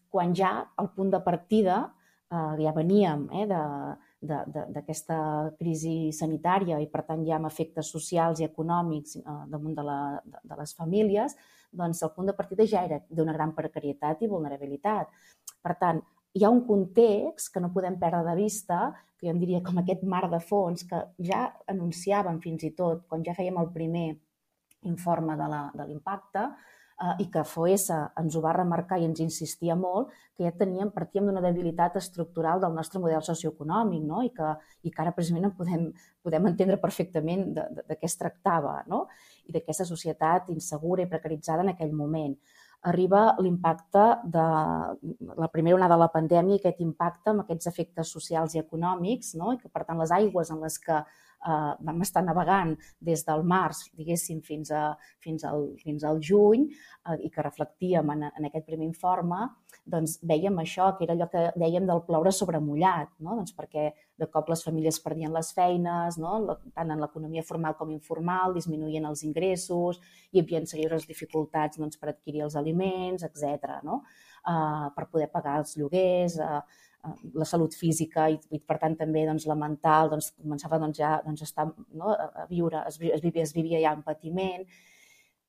Quan ja al punt de partida eh, ja veníem eh, de, de, de, d'aquesta crisi sanitària i, per tant, ja amb efectes socials i econòmics eh, damunt de, la, de, de les famílies, doncs el punt de partida ja era d'una gran precarietat i vulnerabilitat. Per tant, hi ha un context que no podem perdre de vista, que jo en diria com aquest mar de fons, que ja anunciàvem fins i tot, quan ja fèiem el primer informe de, la, de l'impacte, eh, i que F O E S ens ho va remarcar i ens insistia molt, que ja teníem, partíem d'una debilitat estructural del nostre model socioeconòmic, no? I, que, i que ara precisament en podem, podem entendre perfectament de, de, de què es tractava, no? I d'aquesta societat insegura i precaritzada en aquell moment. Arriba l'impacte de la primera onada de la pandèmia, aquest impacte amb aquests efectes socials i econòmics, no? I que, per tant, les aigües en les que eh, vam estar navegant des del març, diguéssim, fins, a, fins, al, fins al juny, eh, i que reflectíem en, en aquest primer informe, doncs vèiem això, que era allò que dèiem del ploure sobre mullat, no? Doncs perquè de cop les famílies perdien les feines, no? Tant en l'economia formal com informal, disminuïen els ingressos, hi havia serioses dificultats doncs, per adquirir els aliments, etcètera, no? Uh, per poder pagar els lloguers, uh, uh, la salut física i, i per tant també doncs, la mental, doncs, començava doncs, ja doncs, a, estar, no? a viure, es, es, vivia, es vivia ja en patiment.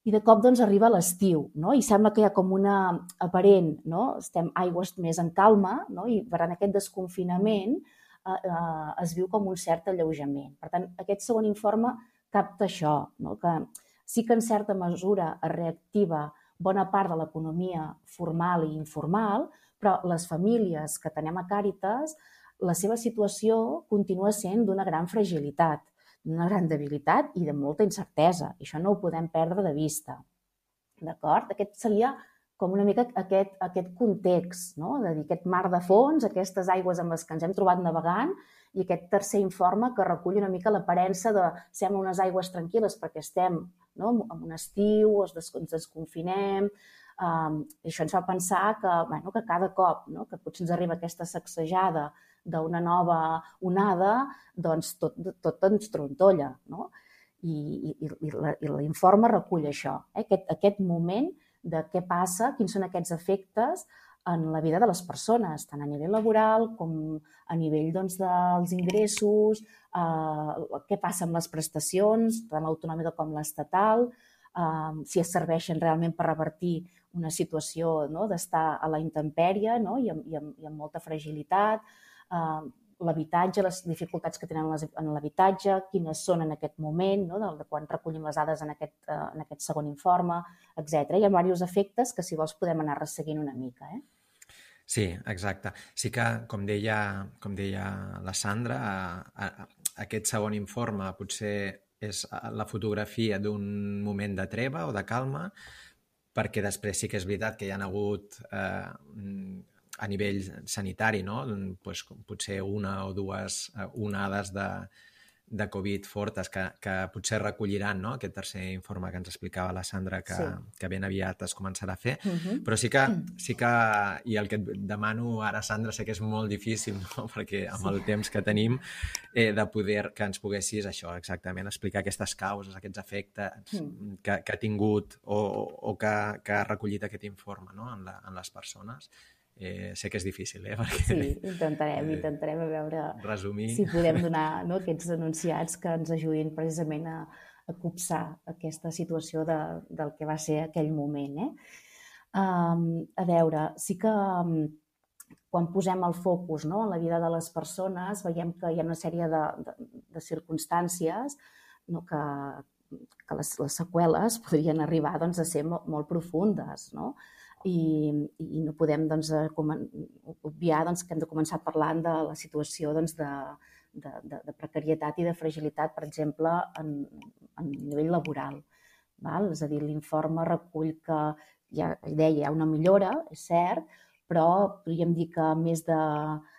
I de cop doncs, arriba l'estiu, no? I sembla que hi ha com una aparent, no? Estem aigües més en calma, no? I per tant aquest desconfinament eh, eh, es viu com un cert alleujament. Per tant, aquest segon informe capta això, no? Que sí que en certa mesura es reactiva bona part de l'economia formal i informal, però les famílies que tenem a Càritas, la seva situació continua sent d'una gran fragilitat, d'una gran debilitat i de molta incertesa. I això no ho podem perdre de vista. D'acord? Aquest seria com una mica aquest, aquest context, no? De dir, aquest mar de fons, aquestes aigües amb les que ens hem trobat navegant, i aquest tercer informe que recull una mica l'aparença de sembla unes aigües tranquil·les perquè estem, no? En un estiu, ens desconfinem, um, i això ens fa pensar que, bueno, que cada cop, no? Que potser ens arriba aquesta sacsejada d'una nova onada, doncs tot, tot ens trontolla, no? I, i, i l'informe recull això, eh? aquest, aquest moment de què passa, quins són aquests efectes en la vida de les persones, tant a nivell laboral com a nivell doncs, dels ingressos, eh, què passa amb les prestacions, tant l'autonòmica com l'estatal, eh, si es serveixen realment per revertir una situació, no? D'estar a la intempèrie, no? I, amb, i, amb, i amb molta fragilitat, eh, l'habitatge, les dificultats que tenen en l'habitatge, quines són en aquest moment, no? De quan recollim les dades en aquest, en aquest segon informe, etcètera. Hi ha diversos efectes que, si vols, podem anar resseguint una mica. Eh? Sí, exacte. Sí que, com deia, com deia la Sandra, a, a, aquest segon informe potser és la fotografia d'un moment de treva o de calma, perquè després sí que és veritat que hi ha hagut eh, a nivell sanitari, no? Pues, potser una o dues onades de, de Covid fortes que, que potser recolliran, no? Aquest tercer informe que ens explicava la Sandra que, sí. que ben aviat es començarà a fer. Uh-huh. Però sí que, sí que, i el que et demano ara, Sandra, sé que és molt difícil, no? Perquè amb sí. el temps que tenim, eh, de poder que ens poguessis això, exactament, explicar aquestes causes, aquests efectes mm. que, que ha tingut o, o que, que ha recollit aquest informe, no? en, la, en les persones. Eh, sé que és difícil, eh? Perquè, sí, intentarem, eh, intentarem a veure resumir. Si podem donar, no, aquests enunciats que ens ajudin precisament a, a copsar aquesta situació de, del que va ser aquell moment. Eh? Um, a veure, sí que um, quan posem el focus, no, en la vida de les persones, veiem que hi ha una sèrie de, de, de circumstàncies, no, que, que les, les seqüeles podrien arribar, doncs, a ser molt, molt profundes, no? I, i no podem doncs, obviar doncs, que hem de començar parlant de la situació doncs, de, de, de, de precarietat i de fragilitat, per exemple, en, en nivell laboral. Val? És a dir, l'informe recull que ja deia, hi ha una millora, és cert, però podríem dir que més de,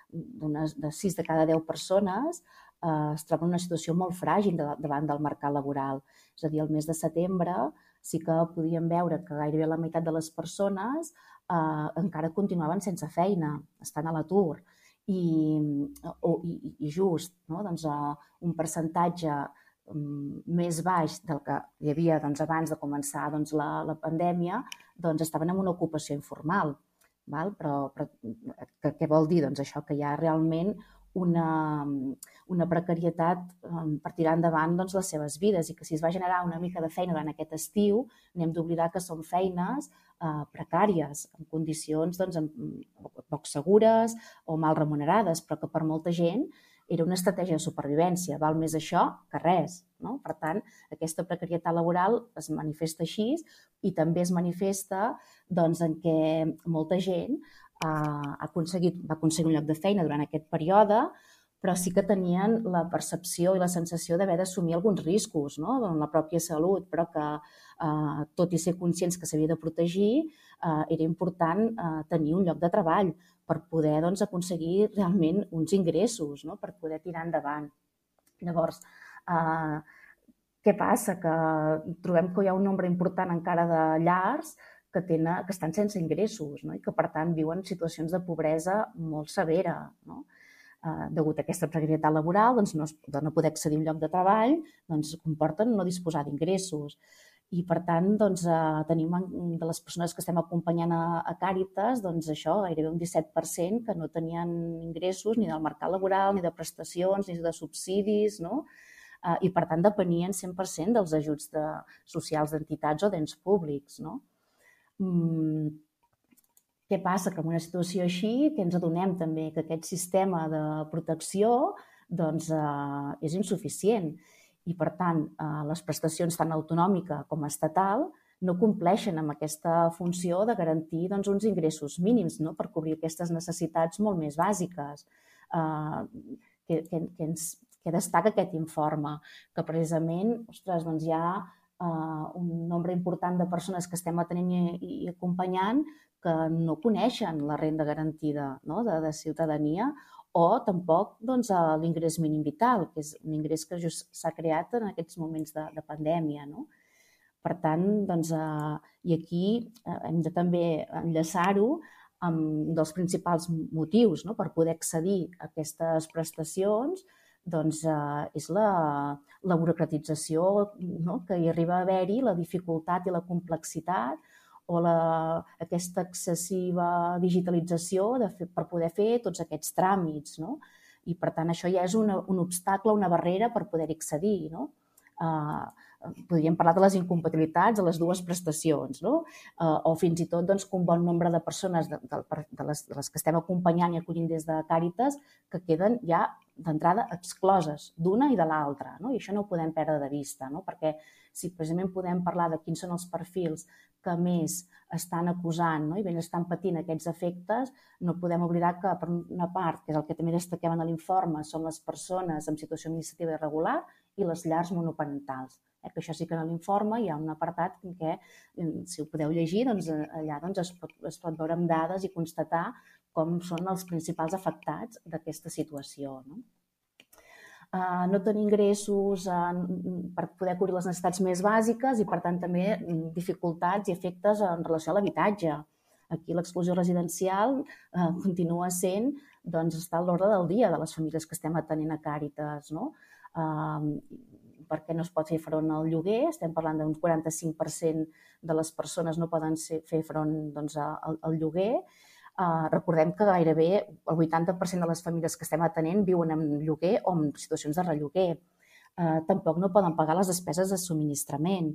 de sis de cada deu persones eh, es troben en una situació molt fràgil davant del mercat laboral. És a dir, el mes de setembre sí que podíem veure que gairebé la meitat de les persones eh, encara continuaven sense feina, estan a l'atur. I, o, i, i just, no? Doncs, uh, un percentatge um, més baix del que hi havia doncs, abans de començar doncs, la, la pandèmia, doncs estaven en una ocupació informal. Val? Però, però que, què vol dir? Doncs això, que hi ha realment una, una precarietat um, per tirar endavant doncs, les seves vides i que si es va generar una mica de feina durant aquest estiu, n'hem d'oblidar que són feines uh, precàries, en condicions doncs, poc segures o mal remunerades, però que per molta gent era una estratègia de supervivència, val més això que res. No? Per tant, aquesta precarietat laboral es manifesta així i també es manifesta doncs, en què molta gent ha aconseguit, va aconseguir un lloc de feina durant aquest període, però sí que tenien la percepció i la sensació d'haver d'assumir alguns riscos, no? En la pròpia salut, però que, eh, tot i ser conscients que s'havia de protegir, eh, era important eh, tenir un lloc de treball per poder doncs, aconseguir realment uns ingressos, no? Per poder tirar endavant. Llavors, eh, què passa? Que trobem que hi ha un nombre important encara de llars que, tenen, que estan sense ingressos, no? I que, per tant, viuen situacions de pobresa molt severa. No? Eh, degut a aquesta precarietat laboral, doncs, no, es, de no poder accedir a un lloc de treball, doncs, comporten no disposar d'ingressos. I, per tant, doncs, eh, tenim de les persones que estem acompanyant a, a Càritas, doncs, això, gairebé un disset per cent que no tenien ingressos ni del mercat laboral, ni de prestacions, ni de subsidis, no? Eh, I, per tant, depenien cent per cent dels ajuts de, socials d'entitats o d'ens públics, no? Mm, què passa? Que en una situació així, que ens adonem també que aquest sistema de protecció doncs, eh, és insuficient i, per tant, eh, les prestacions tant autonòmica com estatal no compleixen amb aquesta funció de garantir doncs, uns ingressos mínims, no? Per cobrir aquestes necessitats molt més bàsiques. Eh, que, que, que, ens, que destaca aquest informe, que precisament ostres, doncs, hi ha uh, un nombre important de persones que estem atenent i, i acompanyant que no coneixen la renda garantida, no?, de, de ciutadania, o tampoc doncs, l'ingrés mínim vital, que és un ingrés que just s'ha creat en aquests moments de, de pandèmia, no? Per tant, doncs, eh, i aquí eh, hem de també enllaçar-ho amb un dels principals motius, no?, per poder accedir a aquestes prestacions, doncs, eh, és la, la burocratització, no?, que hi arriba a haver-hi, la dificultat i la complexitat, o la, aquesta excessiva digitalització de fer, per poder fer tots aquests tràmits, no? I, per tant, això ja és una, un obstacle, una barrera per poder-hi accedir, no? Uh, podríem parlar de les incompatibilitats de les dues prestacions, no? Uh, o fins i tot doncs, que un bon nombre de persones de, de, de, les, de les que estem acompanyant i acollint des de Càritas que queden ja d'entrada excloses d'una i de l'altra, no? I això no ho podem perdre de vista, no? Perquè si precisament podem parlar de quins són els perfils que més estan acusant, no?, i ben estan patint aquests efectes, no podem oblidar que, per una part, que és el que també destaquem en l'informe, són les persones en situació administrativa irregular i les llars monoparentals. Eh, que això sí que en l'informe hi ha un apartat en què, si ho podeu llegir, doncs, allà doncs, es, pot, es pot veure amb dades i constatar com són els principals afectats d'aquesta situació, no? Uh, no tenir ingressos uh, per poder cobrir les necessitats més bàsiques i, per tant, també dificultats i efectes en relació a l'habitatge. Aquí l'exclusió residencial uh, continua sent, doncs, està a l'ordre del dia de les famílies que estem atenent a Càritas, no? Uh, perquè no es pot fer front al lloguer, estem parlant d'un quaranta-cinc per cent de les persones no poden ser, fer front doncs, al, al lloguer. Uh, recordem que gairebé el vuitanta per cent de les famílies que estem atenent viuen en lloguer o en situacions de relloguer. Uh, tampoc no poden pagar les despeses de subministrament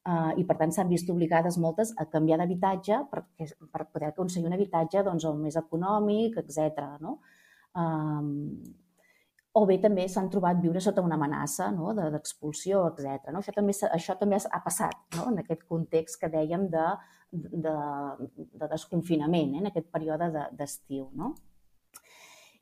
uh, i, per tant, s'han vist obligades moltes a canviar d'habitatge per, per poder aconseguir un habitatge doncs, el més econòmic, etcètera, no? Uh, o bé també s'han trobat viure sota una amenaça, no?, d'expulsió, etcètera. No? Això, també, això també ha passat, no?, en aquest context que dèiem de, de, de desconfinament, eh?, en aquest període d'estiu. No?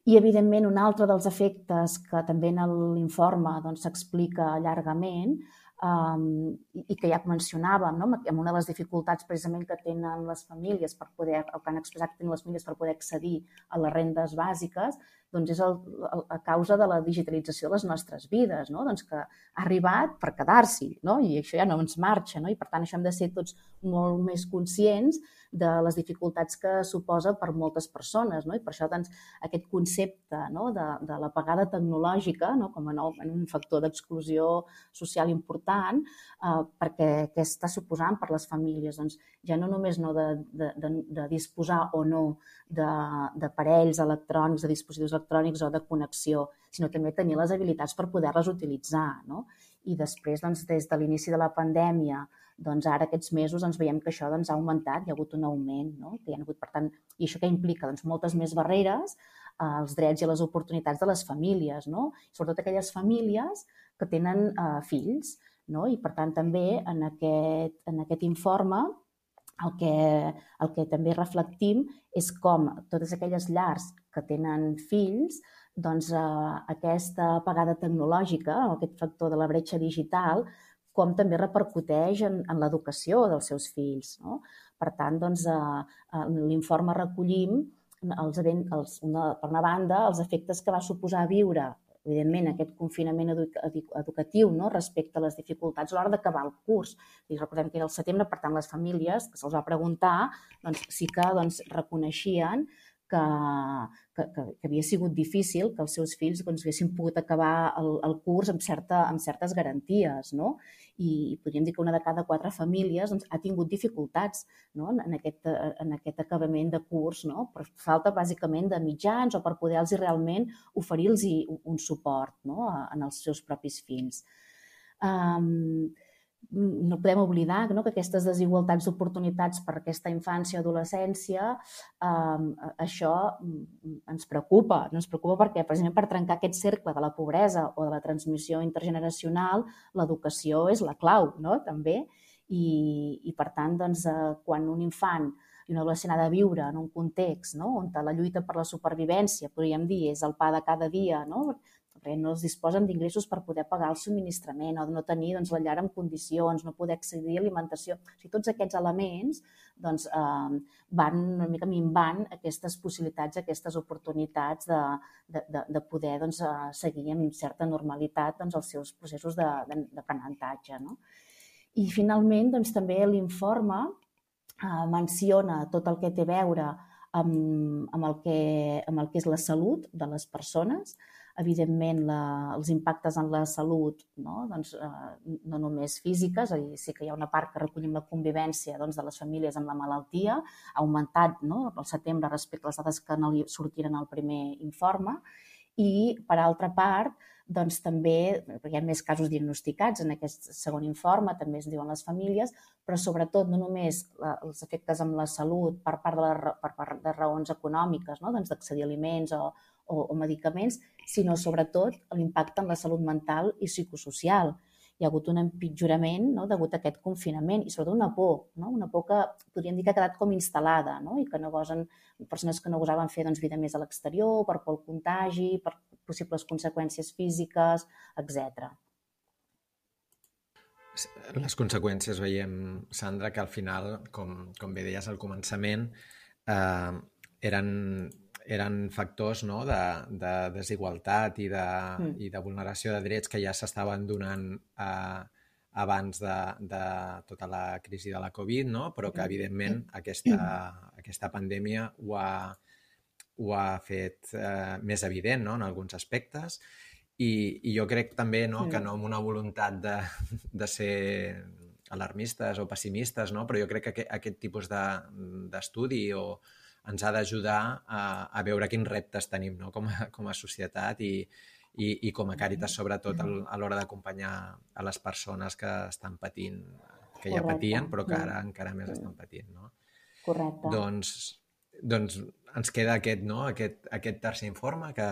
I, evidentment, un altre dels efectes que també en l'informe doncs, s'explica llargament um, i que ja mencionàvem, no?, amb una de les dificultats precisament que tenen les famílies per poder, el que han expressat que tenen les famílies per poder accedir a les rendes bàsiques, doncs és el, el, a causa de la digitalització de les nostres vides, no? Doncs que ha arribat per quedar-s'hi, no? I això ja no ens marxa, no? I per tant això hem de ser tots molt més conscients de les dificultats que suposa per moltes persones, no? I per això doncs, aquest concepte, no?, de, de la pagada tecnològica, no?, com a nou, en un factor d'exclusió social important, eh, perquè què està suposant per les famílies? Doncs ja no només no de, de, de, de disposar o no d'aparells electrònics, de dispositius electrònics o de connexió, sinó també tenir les habilitats per poder-les utilitzar, no? I després, doncs, des de l'inici de la pandèmia, doncs ara aquests mesos ens veiem que això doncs, ha augmentat, hi ha hagut un augment, no? Que hi ha hagut, per tant, i això què implica? Doncs moltes més barreres als drets i a les oportunitats de les famílies, no? Sobretot aquelles famílies que tenen eh, fills, no? I per tant també en aquest, en aquest informe el que, el que també reflectim és com totes aquelles llars que tenen fills, doncs eh, aquesta pagada tecnològica, aquest factor de la bretxa digital, com també repercuteix en, en l'educació dels seus fills, no? Per tant, doncs, eh, en l'informe recollim, els, els, una, per una banda, els efectes que va suposar viure, evidentment, aquest confinament educatiu, no?, respecte a les dificultats a l'hora d'acabar el curs. I recordem que era el setembre, per tant, les famílies que se'ls va preguntar doncs, sí que doncs, reconeixien que, que, que havia sigut difícil que els seus fills doncs, haguessin pogut acabar el, el curs amb, certa, amb certes garanties, no? I podríem dir que una de cada quatre famílies doncs, ha tingut dificultats, no?, en, aquest, en aquest acabament de curs, no?, per falta bàsicament de mitjans o per poder-los realment oferir-los un suport, no?, en els seus propis fills. Um, no podem oblidar, no?, que aquestes desigualtats d'oportunitats per aquesta infància o adolescència, eh, això ens preocupa. Ens preocupa perquè, precisament per trencar aquest cercle de la pobresa o de la transmissió intergeneracional, l'educació és la clau, no?, també. I, i per tant, doncs, eh, quan un infant i un adolescent ha de viure en un context, no?, on la lluita per la supervivència, podríem dir, és el pa de cada dia, no?, perquè no es disposen d'ingressos per poder pagar el subministrament o no tenir doncs, la llar en condicions, no poder accedir a alimentació. O sigui, tots aquests elements doncs, eh, van una mica minvant aquestes possibilitats, aquestes oportunitats de, de, de, de poder doncs, seguir amb certa normalitat doncs, els seus processos d'aprenentatge. No? I finalment doncs, també l'informe eh, menciona tot el que té a veure Amb, amb, el que, amb el que és la salut de les persones, evidentment la, els impactes en la salut, no, doncs, eh, no només físiques, és a dir, sí que hi ha una part que recollim la convivència doncs, de les famílies amb la malaltia, ha augmentat no, al setembre respecte a les dades que no li sortiren al primer informe, i per altra part, doncs també, perquè hi ha més casos diagnosticats en aquest segon informe, també es diuen les famílies, però sobretot no només la, els efectes amb la salut per part de, la, per part de raons econòmiques, no? doncs d'accedir a aliments o, o, o medicaments, sinó sobretot l'impacte en la salut mental i psicosocial. Hi ha hagut un empitjorament no? degut a aquest confinament i sobretot una por, no? una por que podríem dir que ha quedat com instal·lada no? i que no gosen, persones que no gosaven fer doncs, vida més a l'exterior, per por al contagi, per possibles conseqüències físiques, etcètera. Les conseqüències veiem, Sandra, que al final, com, com bé deies al començament, eh, eren, eren factors no, de, de desigualtat i de, mm. i de vulneració de drets que ja s'estaven donant eh, abans de, de tota la crisi de la Covid, no? Però que, evidentment, aquesta, aquesta pandèmia ho ha, ho ha fet eh, més evident no? en alguns aspectes. I, i jo crec també no, que no amb una voluntat de, de ser alarmistes o pessimistes, no? Però jo crec que aquest, aquest tipus d'estudi de, o ens ha d'ajudar a, a veure quins reptes tenim no? com, a, com a societat i, i, i com a Càritas, sobretot a l'hora d'acompanyar a les persones que estan patint, que ja patien, però que ara encara més estan patint. No? Correcte. Doncs, doncs ens queda aquest, no? aquest, aquest tercer informe que,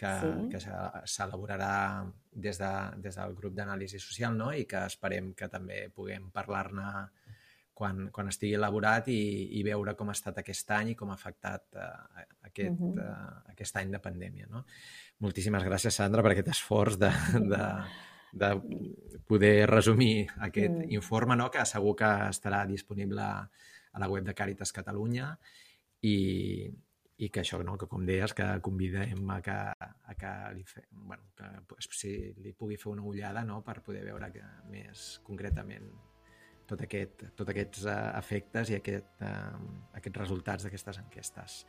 que, sí. que s'elaborarà des, de, des del grup d'anàlisi social no? I que esperem que també puguem parlar-ne quan, quan estigui elaborat i, i veure com ha estat aquest any i com ha afectat uh, aquest, uh-huh. uh, aquest any de pandèmia. No? Moltíssimes gràcies, Sandra, per aquest esforç de, de, de poder resumir aquest mm. informe, no? Que segur que estarà disponible a la web de Càritas Catalunya. I, i que això, no? Que com deies, que convidem a que, a que, li, fe, bueno, que si li pugui fer una ullada no? Per poder veure que, més concretament tot aquest, tot aquests uh, efectes i aquest, uh, aquests resultats d'aquestes enquestes.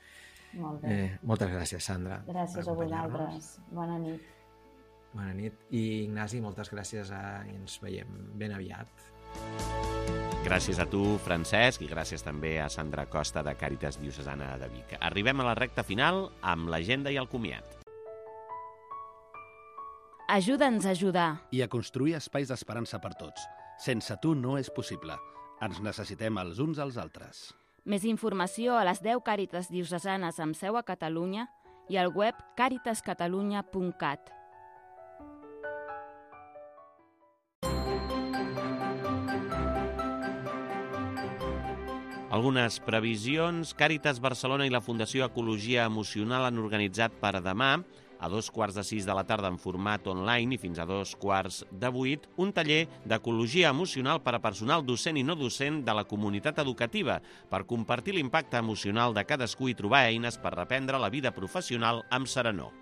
Molt bé. Eh, moltes gràcies, Sandra. Gràcies a vosaltres. Bona nit. Bona nit. I Ignasi, moltes gràcies a... i ens veiem ben aviat. Gràcies a tu, Francesc, i gràcies també a Sandra Costa de Càritas Diocesana de Vic. Arribem a la recta final amb l'agenda i el comiat. Ajuda'ns a ajudar. I a construir espais d'esperança per tots. Sense tu no és possible. Ens necessitem els uns als altres. Més informació a les deu Càritas Diocesanes amb seu a Catalunya i al web càritas catalunya punt cat. Algunes previsions. Càritas Barcelona i la Fundació Ecologia Emocional han organitzat per demà, a dos quarts de sis de la tarda en format online i fins a dos quarts de vuit, un taller d'ecologia emocional per a personal docent i no docent de la comunitat educativa per compartir l'impacte emocional de cadascú i trobar eines per reprendre la vida professional amb serenor.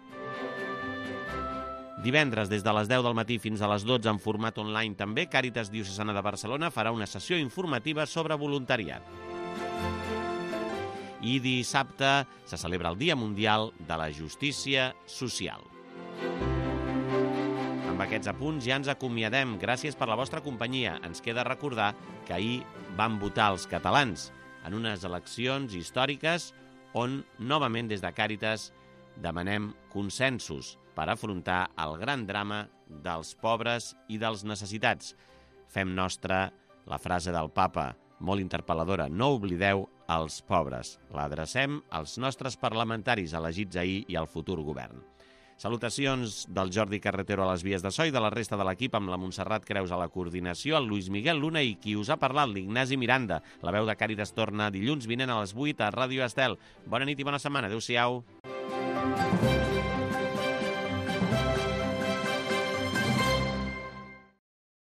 Divendres, des de les deu del matí fins a les dotze en format online també, Càritas Diocesana de Barcelona farà una sessió informativa sobre voluntariat. I dissabte se celebra el Dia Mundial de la Justícia Social. Amb aquests apunts ja ens acomiadem. Gràcies per la vostra companyia. Ens queda recordar que ahir van votar els catalans en unes eleccions històriques on, novament des de Càritas, demanem consensos per afrontar el gran drama dels pobres i dels necessitats. Fem nostra la frase del papa, molt interpel·ladora: no oblideu els pobres. L'adrecem als nostres parlamentaris elegits ahir i al futur govern. Salutacions del Jordi Carretero a les vies de so i de la resta de l'equip, amb la Montserrat Creus a la coordinació, el Luis Miguel Luna i qui us ha parlat, l'Ignasi Miranda. La veu de Càritas torna dilluns vinent a les vuit a Ràdio Estel. Bona nit i bona setmana. Adéu-siau.